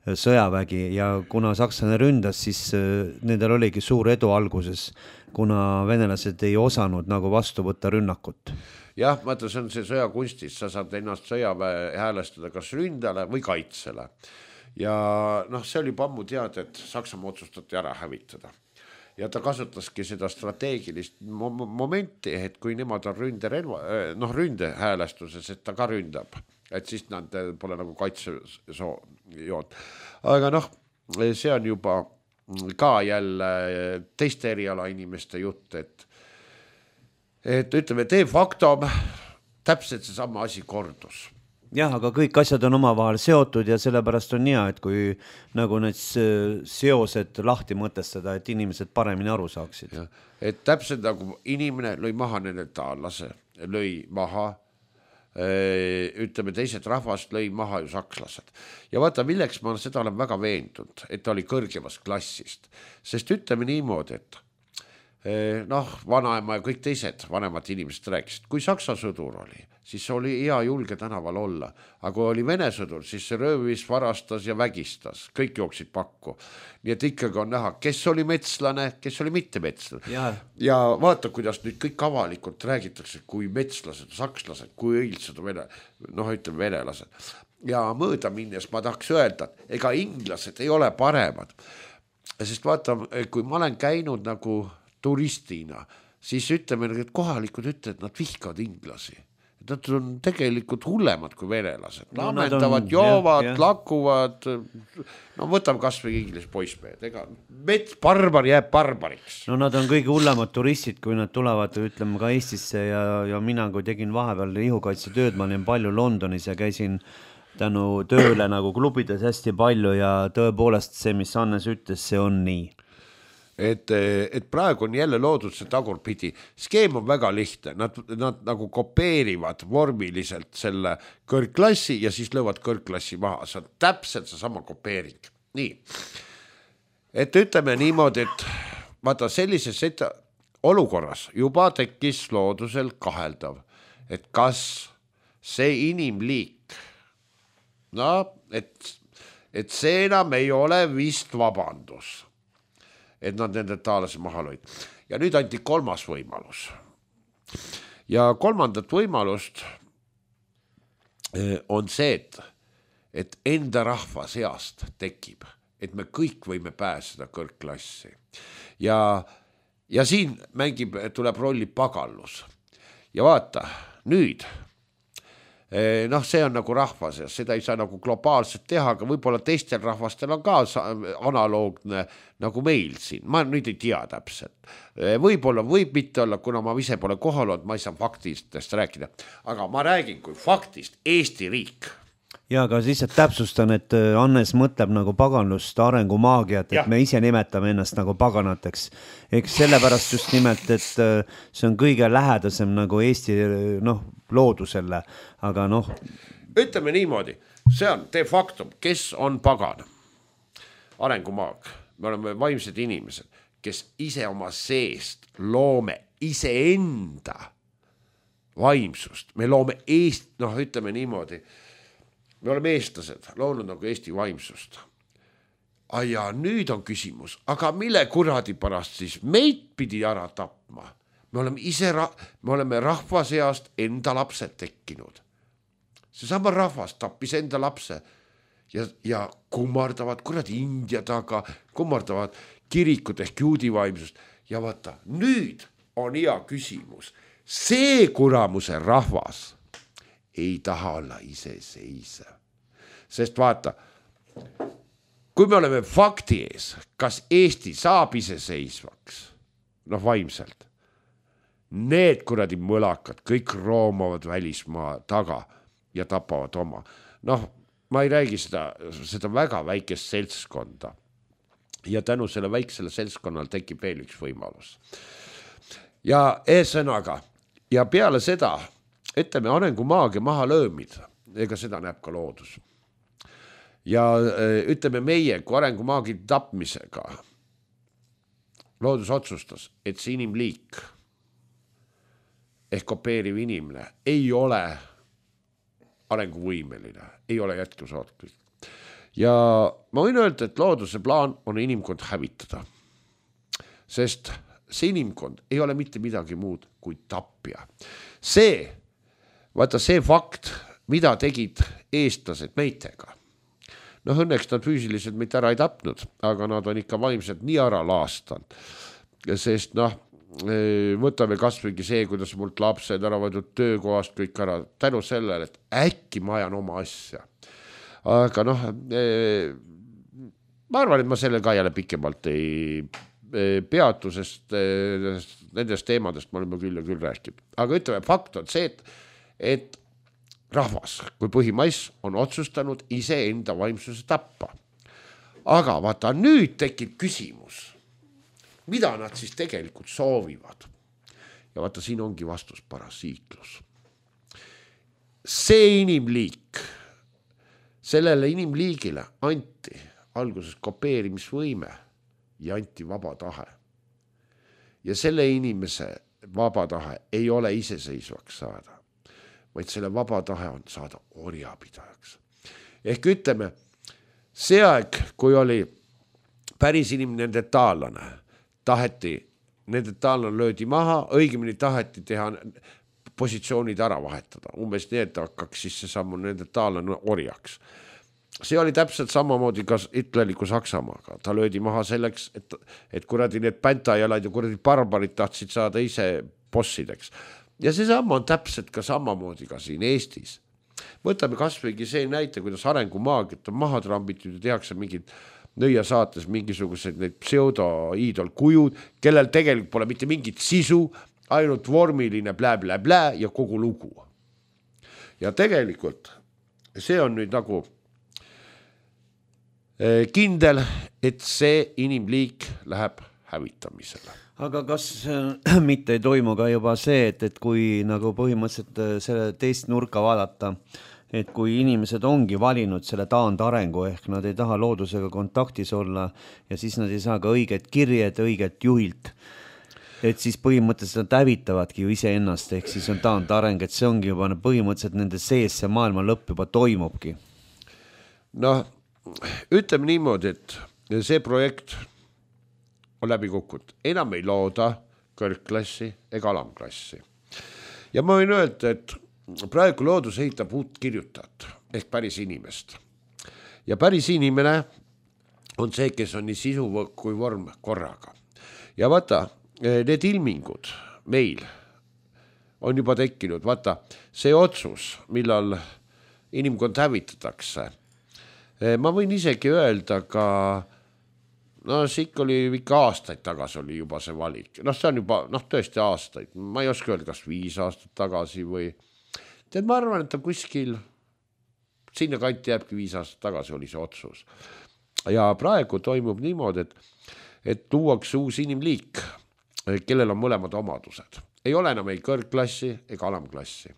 sõjavägi ja kuna sakslane ründas, siis nendel oligi suur edu alguses, kuna venelased ei osanud nagu vastu võtta rünnakut. Jah, mõtle, see on see sõjakunstis, sa saad ennast sõjaväe häälestada kas ründale või kaitsele. Ja see oli ammu teada, et Saksamaa otsustati ära hävitada. Ja ta kasutaski seda strateegilist momenti, et kui nemad on ründe häälestuses, et ta ka ründab. Et siis nad pole nagu kaitsejood. Aga see on juba ka jälle teiste eriala inimeste jutt, et ütleme, de facto täpselt see sama asi kordus. Jah, aga kõik asjad on omavahel seotud ja sellepärast on hea, et kui nagu need seosed lahti mõtestada, et inimesed paremini aru saaksid. Ja, et täpselt nagu inimene lõi maha nende taallase, lõi maha ütleme, teised rahvast lõi maha ju sakslased. Ja vaata, milleks ma seda olen väga veendunud, et ta oli kõrgemast klassist. Sest ütleme niimoodi, et vanaema ja kõik teised vanemad inimesed rääkisid, kui saksa sõdur oli, siis oli hea julge tänaval olla. Aga kui oli Vene sõdur, siis see röövis, varastas ja vägistas. Kõik jooksid pakku. Nii et ikkagi on näha, kes oli metslane, kes oli mitte metslane. Ja vaata, kuidas nüüd kõik avalikult räägitakse, kui metslased, sakslased, kui õilsed ütleme venelased. Ja mõõda minnes ma tahaks öelda, ega inglased ei ole paremad. sest vaata, kui ma olen käinud nagu turistina, siis ütleme, et kohalikud ütlevad, et nad vihkavad inglasi. Nad on tegelikult hullemad kui venelased. Lamentavad, joovad, lakuvad. No võtame kas või inglise poissmehed. Ega barbar jääb barbariks. No nad on kõige hullemad turistid, kui nad tulevad, ütleme ka Eestisse ja mina, kui tegin vahepeal ihukaitsetööd, ma olin palju Londonis ja käisin tänu tööle nagu klubides hästi palju ja tõepoolest see, mis Hannes ütles, see on nii. Et praegu on jälle loodud see tagurpidi. Skeem on väga lihtne. Nad nagu kopeerivad vormiliselt selle kõrgklassi ja siis löövad kõrgklassi maha. See on täpselt see sama kopeering. Nii. Et ütleme niimoodi, et vaata sellises olukorras juba tekkis loodusel kaheldav, et kas see inimliik, no, et see enam ei ole vist vabandus, et nad nende taalase maha lõid. Ja nüüd anti kolmas võimalus. Ja kolmandat võimalust on see, et enda rahva seast tekib, et me kõik võime pääseda kõrgklassi. Ja siin tuleb rolli pagallus. Ja vaata, nüüd noh, see on nagu rahvas ja seda ei saa nagu globaalselt teha, aga võib-olla teistel rahvastel on ka analoogne nagu meil siin. Ma nüüd ei tea täpselt. Võib-olla võib mitte olla, kuna ma ise pole kohal olnud, ma ei saa faktistest rääkida. Aga ma räägin kui faktist Eesti riik. Ja aga siis täpsustan, et Hannes mõtleb nagu paganlust arengumaagiat, et me ise nimetame ennast nagu paganateks. Eks sellepärast just nimelt, et see on kõige lähedasem nagu Eesti loodusele, aga Ütleme niimoodi, see on de facto, kes on pagan? Arengumaag. Me oleme vaimsed inimesed, kes ise oma seest loome iseenda vaimsust. Me loome ütleme niimoodi, me oleme eestlased, loonud nagu Eesti vaimsust. Ja nüüd on küsimus, aga mille kuradi pärast siis meid pidi ära tapma? Me oleme rahva seast enda lapsed tekkinud. Seesama rahvas tappis enda lapse ja kummardavad kuradi India taga, kummardavad kirikut ehk juudi vaimsust. Ja vaata, nüüd on hea küsimus. See kuramuse rahvas ei taha olla iseseisev. Sest vaata, kui me oleme fakti ees, kas Eesti saab iseseisvaks, vaimselt, need kuradi mõlakad, kõik roomavad välismaa taga ja tapavad oma. Ma ei räägi seda väga väikest seltskonda. Ja tänu selle väiksele seltskonnal tekib veel üks võimalus. Ja eesõnaga, ja peale seda, ütleme arengumaagia maha löömid, ega seda näeb ka loodus. Ja ütleme meie, kui arengumaagi tapmisega loodus otsustas, et see inimliik ehk kopeeriv inimene ei ole arenguvõimeline, ei ole jätkusuutlik. Ja ma võin öelda, et looduse plaan on inimkond hävitada. Sest see inimkond ei ole mitte midagi muud kui tapja. Vaata see fakt, mida tegid eestlased meitega. Õnneks nad füüsiliselt meid ära ei tapnud, aga nad on ikka vaimselt nii ära laastanud. Sest võtame kasvõigi see, kuidas mult lapsed ära võetud töökohast kõik ära, tänu sellele, et äkki ma ajan oma asja. Aga ma arvan, et ma selle ka jälle pikemalt ei peatu, sest nendest teemadest me oleme küll ja küll rääkinud. Aga ütleme, fakt on see, et rahvas kui põhimass on otsustanud ise enda vaimsuse tappa. Aga vaata, nüüd tekib küsimus, mida nad siis tegelikult soovivad. Ja vaata, siin ongi vastus parasiitlus. See inimliik, sellele inimliigile anti alguses kopeerimisvõime ja anti vaba tahe. Ja selle inimese vaba tahe ei ole iseseisvaks saada, vaid selle vaba tahe on saada orjapidajaks. Ehk ütleme, see aeg, kui oli päris inimene neandertaallane, neandertaallane löödi maha, õigemini taheti teha positsioonid ära vahetada. Umbes nii, et hakkaks siis see sammu neandertaallane orjaks. see oli täpselt samamoodi ka hitleriku Saksamaaga. Ta löödi maha selleks, et kuradi need päntajalad ja kuradi barbarid tahtsid saada ise bossideks. Ja see sama on täpselt ka samamoodi ka siin Eestis. Võtame kasvõigi see näite, kuidas arengumaagiat on maha trambitud ja tehakse mingid nõia saates mingisugused need pseudo-iidol kujud, kellel tegelikult pole mitte mingit sisu, ainult vormiline blä ja kogu lugu. Ja tegelikult see on nüüd nagu kindel, et see inimliik läheb hävitamisele. Aga kas mitte ei toimu ka juba see, et kui nagu põhimõtteliselt selle teist nurka vaadata, et kui inimesed ongi valinud selle taandarengu ehk nad ei taha loodusega kontaktis olla ja siis nad ei saa ka õiget kirjed õiget juhilt, et siis põhimõtteliselt nad hävitavadki ju iseennast ehk siis on taandareng, et see ongi juba põhimõtteliselt nende sees see maailma lõpp juba toimubki. Noh, ütleme niimoodi, et see projekt on läbi kukkunud. Enam ei looda kõrgklassi ega alamklassi. Ja ma võin öelda, et praegu loodus ehitab uut kirjutajat ehk päris inimest. Ja päris inimene on see, kes on nii sisu kui vorm korraga. Ja vaata, need ilmingud meil on juba tekkinud. Vaata, see otsus, millal inimkond hävitatakse, ma võin isegi öelda ka no see ikka oli ikka aastaid tagasi oli juba see valik. No see on juba tõesti aastaid. Ma ei oska öelda, kas 5 aastat tagasi või tead, ma arvan, et ta kuskil sinna kanti jääbki 5 aastat tagasi oli see otsus. Ja praegu toimub niimoodi, et tuuakse uus inimliik, kellel on mõlemad omadused. Ei ole enam ei kõrgklassi ega alamklassi.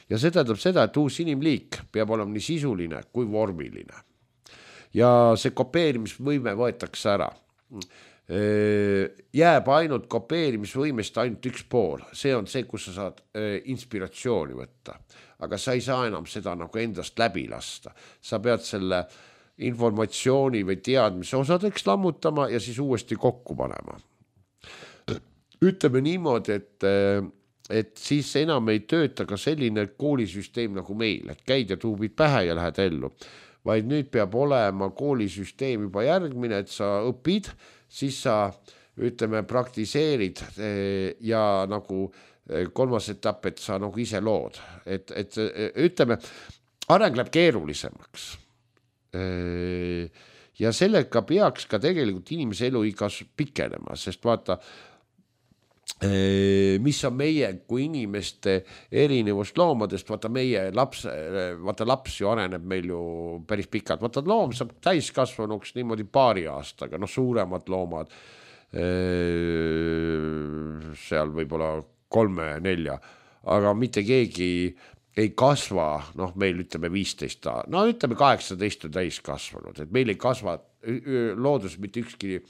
Ja see tähendab seda, et uus inimliik peab olema nii sisuline kui vormiline. Ja see kopeerimisvõime võetakse ära. Jääb ainult kopeerimisvõimest ainult üks pool. See on see, kus sa saad inspiratsiooni võtta. Aga sa ei saa enam seda nagu endast läbi lasta. Sa pead selle informatsiooni või teadmise osadeks lammutama ja siis uuesti kokku panema. Ütleme niimoodi, et siis enam ei tööta ka selline koolisüsteem nagu meil, et käid ja tuubid pähe ja lähed ellu. Vaid nüüd peab olema koolisüsteem juba järgmine, et sa õpid, siis sa, ütleme, praktiseerid ja nagu 3. etapp, et sa nagu ise lood. Et ütleme, areng läheb keerulisemaks. Ja sellega peaks ka tegelikult inimese eluigas pikenema, sest vaata, mis on meie kui inimeste erinevust loomadest, vaata meie laps ju areneb meil ju päris pikalt, vaata loom saab täiskasvanuks niimoodi 2 aastaga, suuremad loomad seal võib-olla 3-4, aga mitte keegi ei kasva, meil ütleme 15, ütleme 18 on täiskasvanud, et meil ei kasva loodus mitte ükski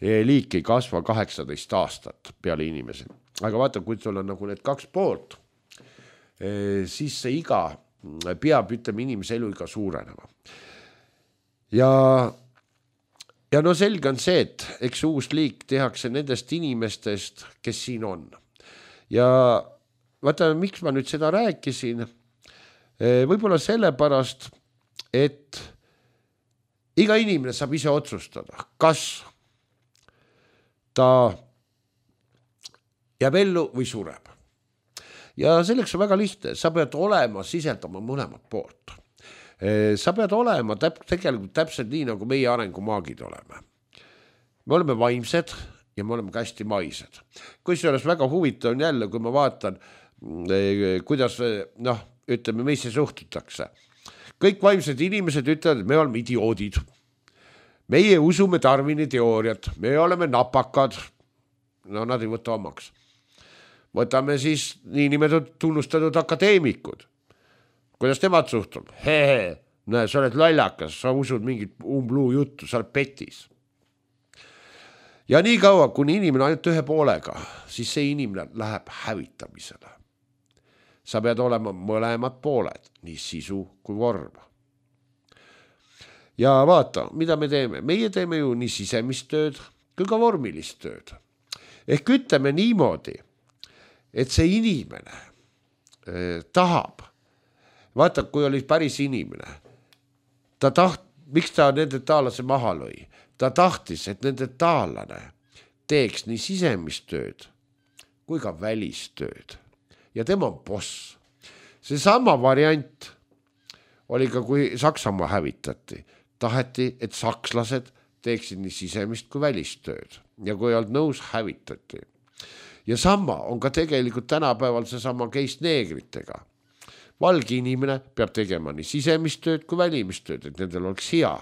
liik ei kasva 18 aastat peale inimese. Aga vaata, kui sul on nagu need 2 poolt, siis see iga peab, ütleme, inimese eluiga suurenema. Ja selge on see, et eks uus liik tehakse nendest inimestest, kes siin on. Ja vaata, miks ma nüüd seda rääkisin? Võib-olla sellepärast, et iga inimene saab ise otsustada, kas ta jääb ellu või sureb. Ja selleks on väga lihtne. Sa pead olema sisendama mõlemat poolt. Sa pead olema tegelikult täpselt nii, nagu meie arengumaagid oleme. Me oleme vaimsed ja me oleme ka hästi maised. Kusjuures väga huvitav on jälle, kui ma vaatan, kuidas, ütleme, meisse suhtutakse. Kõik vaimsed inimesed ütlevad, et me oleme idioodid. Meie usume Darwini teooriat, me oleme napakad, nad ei võta omaks. Võtame siis niinimetatud tunnustatud akadeemikud. Kuidas temad suhtub? Näe, sa oled lallakas, sa usud mingit umbluu juttu, sa oled petis. Ja nii kaua, kuni inimene ainult 1 poolega, siis see inimene läheb hävitamisele. Sa pead olema mõlemad pooled, nii sisu kui vorm. Ja vaata, mida me teeme? Meie teeme ju nii sisemist tööd kui ka vormilist tööd. Ehk ütleme niimoodi, et see inimene tahab, vaata, kui oli päris inimene, miks ta nende taallase maha lõi? Ta tahtis, et nende taallane teeks nii sisemist tööd kui ka välistööd. Ja tema on boss. See sama variant oli ka, kui Saksamaa hävitati. Taheti, et sakslased teeksid nii sisemist kui välistööd. Ja kui ei olnud nõus, hävitati. Ja sama on ka tegelikult tänapäeval see sama case neegritega. Valge inimene peab tegema nii sisemist tööd kui välimistööd, et nendel oleks hea.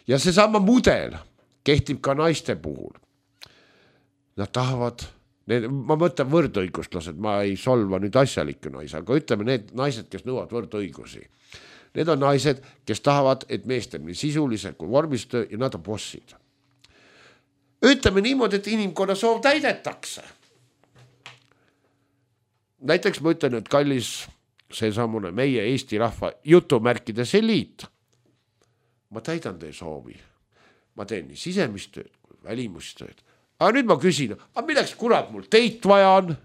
Ja see sama mudel kehtib ka naiste puhul. Nad tahavad, ma mõtlen võrdõiguslased, ma ei solva nüüd asjalikke naisi, aga ütleme need naised, kes nõuavad võrdõigusi. Need on naised, kes tahavad, et mees teeb nii sisulise kui vormistöö ja nad on bossid. Ütleme niimoodi, et inimkonna soov täidetakse. Näiteks ma ütlen, et kallis see samune meie Eesti rahva jutumärkides eliit. Ma täidan teie soovi. Ma teen nii sisemist tööd kui välimustööd. Aga nüüd ma küsin, milleks kurat mul teid vaja on?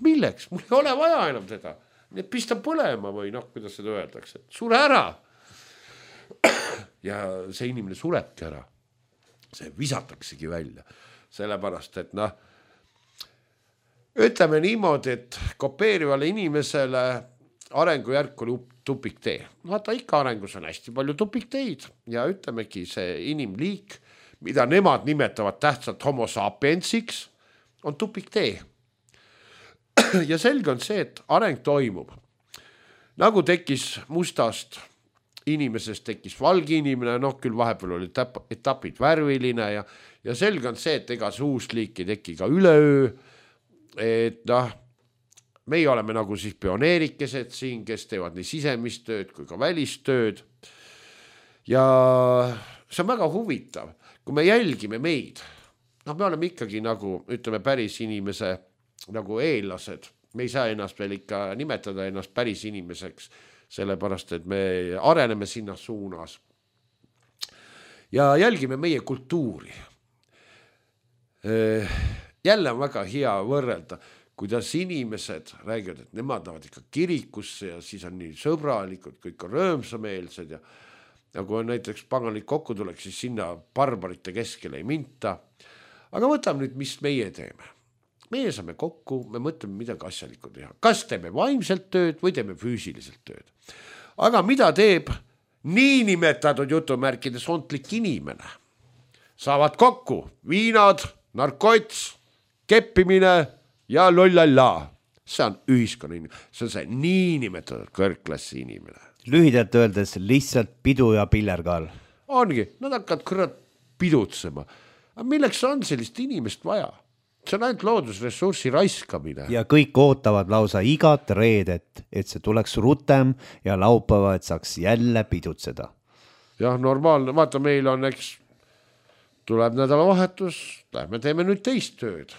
Milleks? Mul ei ole vaja enam teda. Need pista põlema või kuidas seda öeldakse. Sure ära. Ja see inimene surebki ära. See visataksegi välja. Sellepärast, et ütleme niimoodi, et kopeerivale inimesele arengujärk oli tupiktee. Vaata, ikka arengus on hästi palju tupikteid ja ütlemegi see inimliik, mida nemad nimetavad tähtsalt homo sapiensiks, on tupiktee. Ja selge on see, et areng toimub. Nagu tekkis mustast inimesest, tekkis valge inimene, küll vahepeal oli etapid värviline ja selge on see, et ega see uus liik ei teki ka üleöö, et meie oleme nagu siis pioneerikesed siin, kes teevad nii sisemistööd kui ka välistööd. Ja see on väga huvitav, kui me jälgime meid. Me oleme ikkagi nagu, ütleme, päris inimese nagu eellased. Me ei saa ennast veel ikka nimetada ennast päris inimeseks, sellepärast, et me areneme sinna suunas. Ja jälgime meie kultuuri. Jälle on väga hea võrrelda, kuidas inimesed räägivad, et nemad tahavad ikka kirikusse ja siis on nii sõbralikud, kõik on rõõmsameelsed ja kui on näiteks pangalik kokku tuleks, siis sinna barbarite keskele ei minta. Aga võtame nüüd, mis meie teeme. Meie saame kokku, me mõtleme midagi asjalikku teha. Kas teeme vaimselt tööd või teeme füüsiliselt tööd. Aga mida teeb niinimetatud jutumärkides ontlik inimene? Saavad kokku viinad, narkots, keppimine ja lollalla. See on ühiskonna inimene. See on see niinimetatud kõrgklassi inimene. Lühidalt öeldes lihtsalt pidu ja pillerkaal. Ongi, nad hakkavad kõrvad pidutsema. Aga milleks on sellist inimest vaja? See on ainult loodusressurssi raiskamine. Ja kõik ootavad lausa igat reedet, et see tuleks rutem ja laupäeva, et saaks jälle pidutseda. Jah, normaalne. Vaata, meil on, eks, tuleb nädalavahetus, lähme teeme nüüd teist tööd.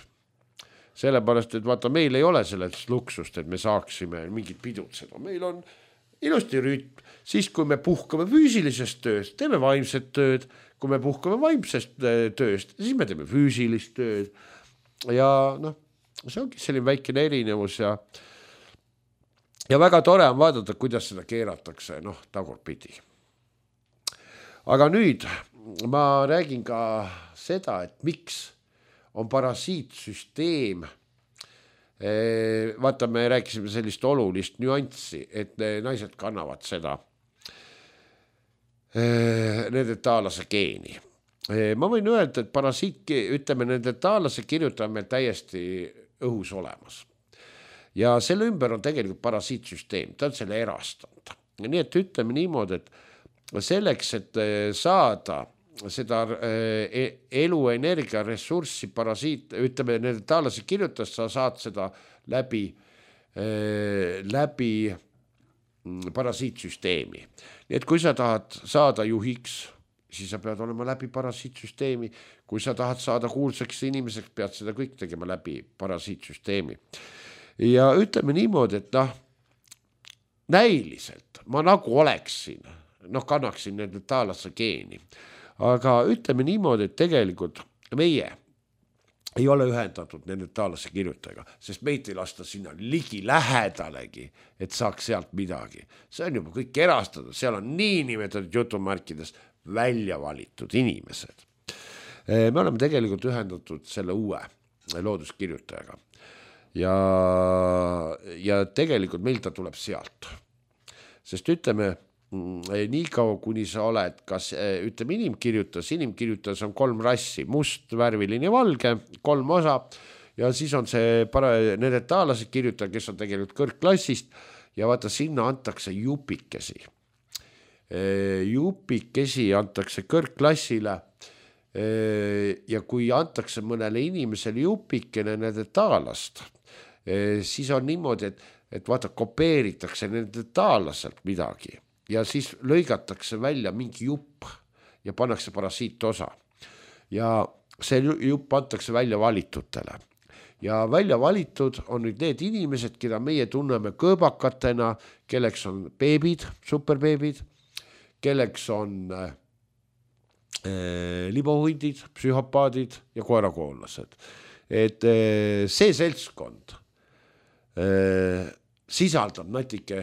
Sellepärast, et vaata, meil ei ole sellest luksust, et me saaksime mingit pidutseda. Meil on ilusti rütm. Siis, kui me puhkame füüsilisest tööst, teeme vaimset tööd. Kui me puhkame vaimsest tööst, siis me teeme füüsilist tööd. Ja see ongi selline väikene erinevus ja väga tore on vaadata, kuidas seda keeratakse, tagurpidi. Aga nüüd ma räägin ka seda, et miks on parasiitsüsteem. Vaata, me rääkisime sellist olulist nüanssi, et naised kannavad seda nende taalase geeni. Ma võin öelda, et parasiit, ütleme, nende taalase kirjutaja meil täiesti õhus olemas. Ja selle ümber on tegelikult parasiitsüsteem, ta on selle erastanud. Nii et ütleme niimoodi, et selleks, et saada seda eluenergia ressurssi parasiit, ütleme, nende taalase kirjutast sa saad seda läbi parasiitsüsteemi. Nii et kui sa tahad saada juhiks, siis sa pead olema läbi parasiitsüsteemi. Kui sa tahad saada kuulsaks inimeseks, pead seda kõik tegema läbi parasiitsüsteemi. Ja ütleme niimoodi, et näiliselt ma nagu oleksin, kannaksin nende taalase geeni. Aga ütleme niimoodi, et tegelikult meie ei ole ühendatud neandertaalase kirjutajaga, sest meid ei lasta sinna ligi lähedalegi, et saaks sealt midagi. See on juba kõik erastatud, seal on niinimetatud jutumärkides välja valitud inimesed. Me oleme tegelikult ühendatud selle uue looduskirjutajaga ja tegelikult meil ta tuleb sealt. Sest ütleme, nii kaua kuni sa oled, kas ütleme inimkirjutas on 3 rassi, must, värviline ja valge, 3 osa ja siis on see neandertaalase kirjutaja, kes on tegelikult kõrgklassist ja vaata sinna antakse jupikesi. Jupikesi antakse kõrgklassile ja kui antakse mõnele inimesele jupikene neandertaalast, siis on niimoodi, et vaata kopeeritakse neandertaalaselt midagi ja siis lõigatakse välja mingi jupp ja pannakse parasiitosa. Ja see jupp antakse välja valitutele. Ja välja valitud on nüüd need inimesed, keda meie tunneme kõõbakatena, kelleks on beebid, superbeebid, kelleks on libohundid, psühhopaadid ja koerakoonlased. Et see seltskond sisaldab natuke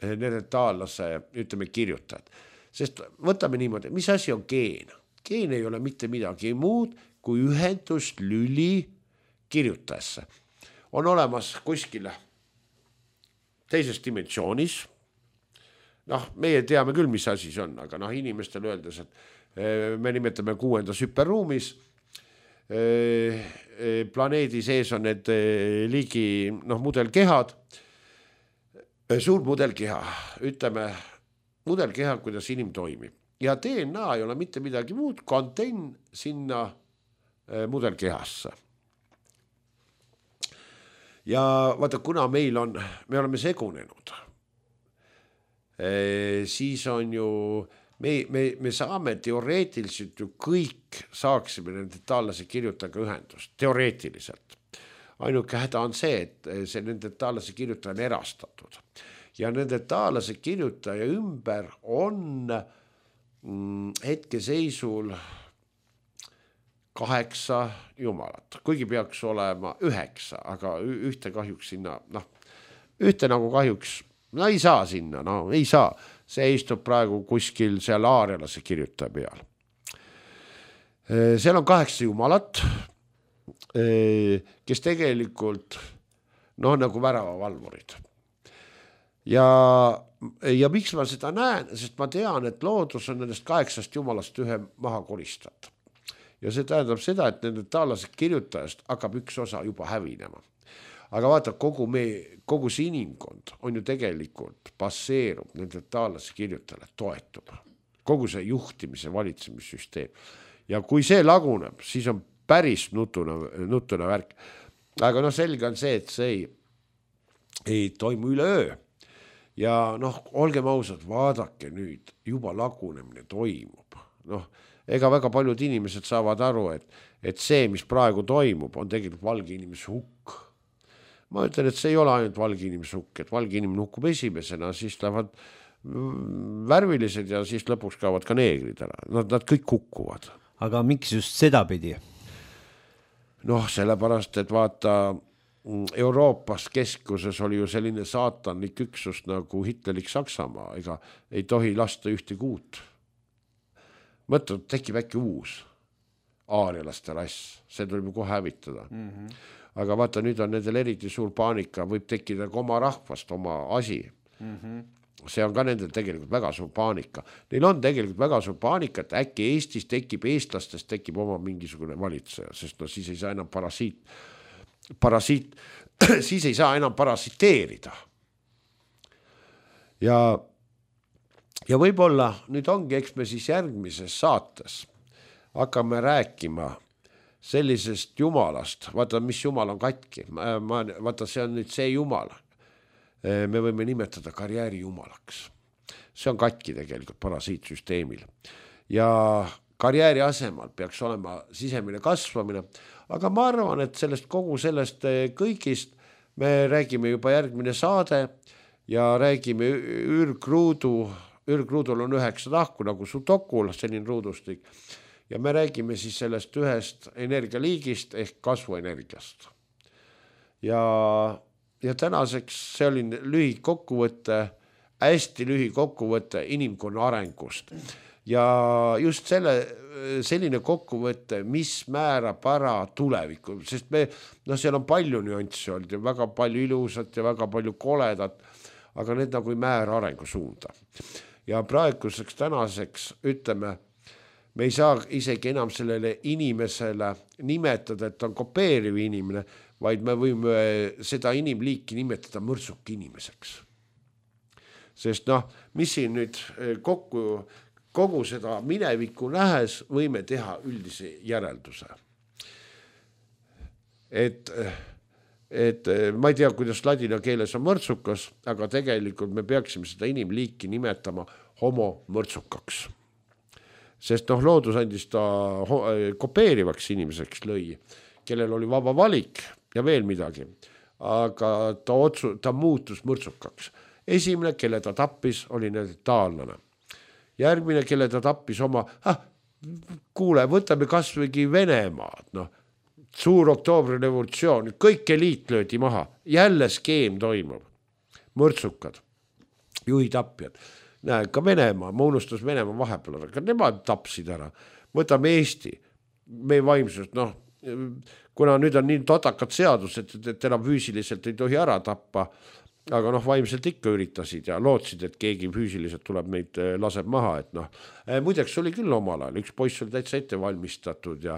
neandertaalase, ütleme, kirjutajad. Sest võtame niimoodi, mis asi on geen? Geen ei ole mitte midagi muud kui ühendust lüli kirjutajasse. On olemas kuskile teises dimensioonis. Meie teame küll, mis asi see on, aga inimestel öeldes, et me nimetame 6. hüperruumis. Planeedi sees on need ligi mudelkehad. Suur mudelkeha, ütleme mudelkeha, kuidas inim toimib. Ja DNA ei ole mitte midagi muud, kontenn sinna mudelkehasse. Ja vaata, kuna me oleme segunenud, siis on ju, me saame teoreetiliselt ju kõik saaksime neandertaalase kirjutajaga ühendust, teoreetiliselt. Ainuke häda on see, et see neandertaalase kirjutaja on erastatud. Ja neandertaalase kirjutaja ümber on hetkeseisul 8 jumalat. Kuigi peaks olema 9, aga ühte kahjuks sinna, ühte nagu kahjuks, ei saa sinna, ei saa. See istub praegu kuskil seal aarelase kirjutaja peal. Seal on 8 jumalat, kes tegelikult nagu väravavalvurid. Ja miks ma seda näen, sest ma tean, et loodus on nendest 8 jumalast ühe maha koristat. Ja see tähendab seda, et neandertaalase kirjutajast hakkab üks osa juba hävinema. Aga vaata, kogu see inimkond on ju tegelikult baseerub neandertaalase kirjutajale, toetub. Kogu see juhtimise valitsemissüsteem. Ja kui see laguneb, siis on päris nutuna värk. Aga selge on see, et see ei toimu üleöö. Ja olgem ausad, vaadake nüüd, juba lagunemine toimub. Ega väga paljud inimesed saavad aru, et see, mis praegu toimub, on tegelikult valge inimese hukk. Ma ütlen, et see ei ole ainult valge inimese hukk, et valge inimene hukkub esimesena, siis lähevad värvilised ja siis lõpuks kaovad ka neegrid ära. Nad kõik hukkuvad. Aga miks just seda pidi? Sellepärast, et vaata, Euroopas keskuses oli ju selline saatanlik üksus nagu Hitlerik Saksamaa, ega ei tohi lasta ühte kuut. Mõtled, tekib äkki uus aarialaste rass, see tuleb ju kohe hävitada. Aga vaata, nüüd on nendel eriti suur paanika, võib tekkida ka oma rahvast, oma asi. See on ka nendel tegelikult väga suur paanika. Neil on tegelikult väga suur paanika, et äkki Eestis tekib, eestlastest tekib oma mingisugune valitseja, sest siis ei saa enam siis ei saa enam parasiteerida. Ja võib-olla nüüd ongi, eks me siis järgmises saates hakkame rääkima sellisest jumalast, vaata, mis jumal on katki, vaata, see on nüüd see jumal, me võime nimetada karjääri jumalaks. See on katki tegelikult parasiitsüsteemil ja karjääri asemel peaks olema sisemine kasvamine, aga ma arvan, et kogu sellest kõigist me räägime juba järgmine saade ja räägime ürgruudul on 9 tahku nagu sudokul, selline ruudustik ja me räägime siis sellest ühest energialiigist ehk kasvuenergiast. Ja tänaseks see oli lühikokkuvõte, hästi lühikokkuvõte inimkonna arengust. Ja just selline kokkuvõte, mis määrab ära tulevikku, sest seal on palju nüanssi olnud ja väga palju ilusat ja väga palju koledat, aga need nagu ei määra arengusuunda. Ja praeguseks tänaseks ütleme, me ei saa isegi enam sellele inimesele nimetada, et on kopeeriv inimene, vaid me võime seda inimliiki nimetada mõrtsuk inimeseks. Sest mis siin nüüd kogu seda minevikku nähes võime teha üldise järelduse. Et ma ei tea, kuidas ladina keeles on mõrtsukas, aga tegelikult me peaksime seda inimliiki nimetama homo mõrtsukaks. Sest loodus andis ta kopeerivaks inimeseks lõi, kellel oli vaba valik ja veel midagi, aga ta muutus mõrtsukaks. Esimene, kelle ta tappis, oli taanlane. Järgmine, kelle ta tappis oma, kuule, võtame kasvõigi Venemaad, suur oktoobri revolutsioon, kõik eliit löödi maha, jälle skeem toimub, mõrtsukad, juhitapjad. Näe, ka Venemaa, ma unustas Venemaa vahepeal, aga nemad tapsid ära. Võtame Eesti, meie vaimsust, kuna nüüd on nii totakad seadused, et enam füüsiliselt ei tohi ära tappa, aga vaimselt ikka üritasid ja lootsid, et keegi füüsiliselt tuleb meid laseb maha, et muideks oli küll omal ajal, üks poiss oli täitsa ette valmistatud ja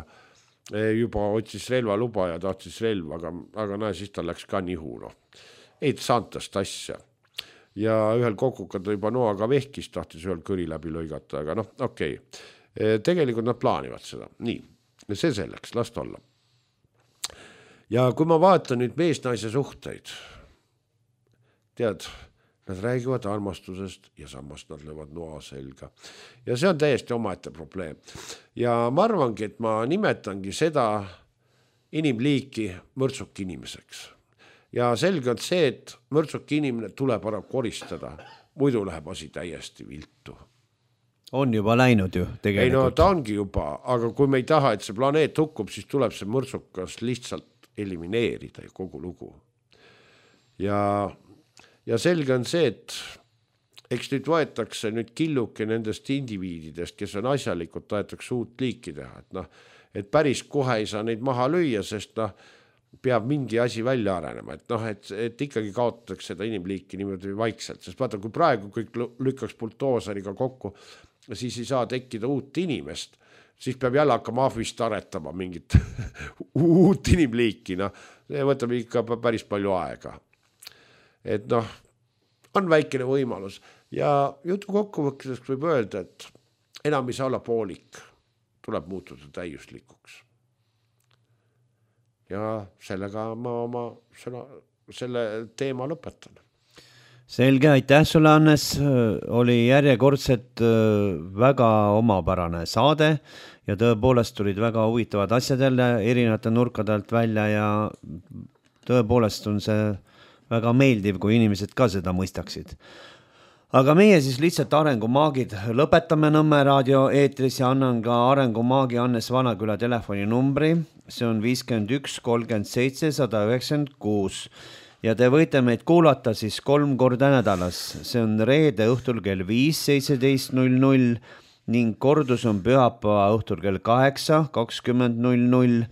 juba otsis relvaluba ja tahtis relva, aga näe, siis ta läks ka nihu, ei saantast asja. Ja ühel kokukad juba noaga vehkis, tahtis ühel kõri läbi lõigata, aga okei. Tegelikult nad plaanivad seda. Nii, see selleks, last olla. Ja kui ma vaatan nüüd mees-naise suhteid, tead, nad räägivad armastusest ja samas nad löövad noa selga. Ja see on täiesti omaette probleem. Ja ma arvangi, et ma nimetangi seda inimliiki mõrtsuk inimeseks. Ja selge on see, et mõrtsuk inimene tuleb ära koristada, muidu läheb asi täiesti viltu. On juba läinud ju tegelikult. Ei ta ongi juba, aga kui me ei taha, et see planeet hukkub, siis tuleb see mõrtsukas lihtsalt elimineerida kogu lugu. Ja selge on see, et eks nüüd võetakse nüüd killuke nendest indiviididest, kes on asjalikud, tahetakse uut liiki teha. Et päris kohe ei saa neid maha lüüa, sest peab mingi asi välja arenema. Et ikkagi kaotatakse seda inimliiki niimoodi vaikselt, sest vaata, kui praegu kõik lükkaks buldooseriga kokku, siis ei saa tekkida uut inimest, siis peab jälle hakkama ahvist aretama mingit uut inimliiki. See võtab ikka päris palju aega. Et on väikene võimalus ja jutu kokkuvõtteks võib öelda, et enam ei saa olla poolik, tuleb muutuda täiuslikuks. Ja sellega ma selle teema lõpetan. Selge, aitäh sulle, Hannes. Oli järjekordselt väga omapärane saade ja tõepoolest tulid väga huvitavad asjad jälle erinevate nurkadelt välja ja tõepoolest on see väga meeldiv, kui inimesed ka seda mõistaksid. Aga meie siis lihtsalt arengumaagid lõpetame Nõmme raadio eetris ja annan ka arengumaagi Hannes Vanaküla telefoninumbri. See on 51 37 196 ja te võite meid kuulata siis 3 korda nädalas. See on reede õhtul kell 5:17:00 ning kordus on pühapäeva õhtul kell 8:20:00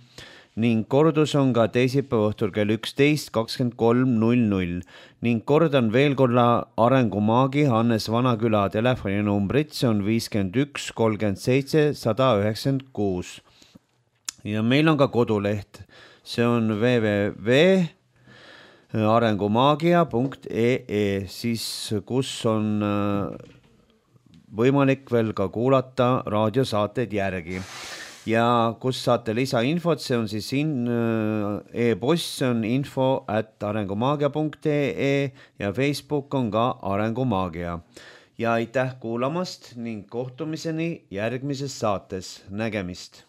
ning kordus on ka teisipäeva õhtul kell 11:23:00 ning kordan veel korda arengumaagi Hannes Vanaküla telefoninumbrit, see on 51 37 196. Ja meil on ka koduleht, see on www.arengumaagia.ee, siis kus on võimalik veel ka kuulata raadiosaateid järgi. Ja kus saate lisainfot, see on siis e-post, see on info@arengumaagia.ee ja Facebook on ka Arengumaagia. Ja aitäh kuulamast ning kohtumiseni järgmises saates. Nägemist!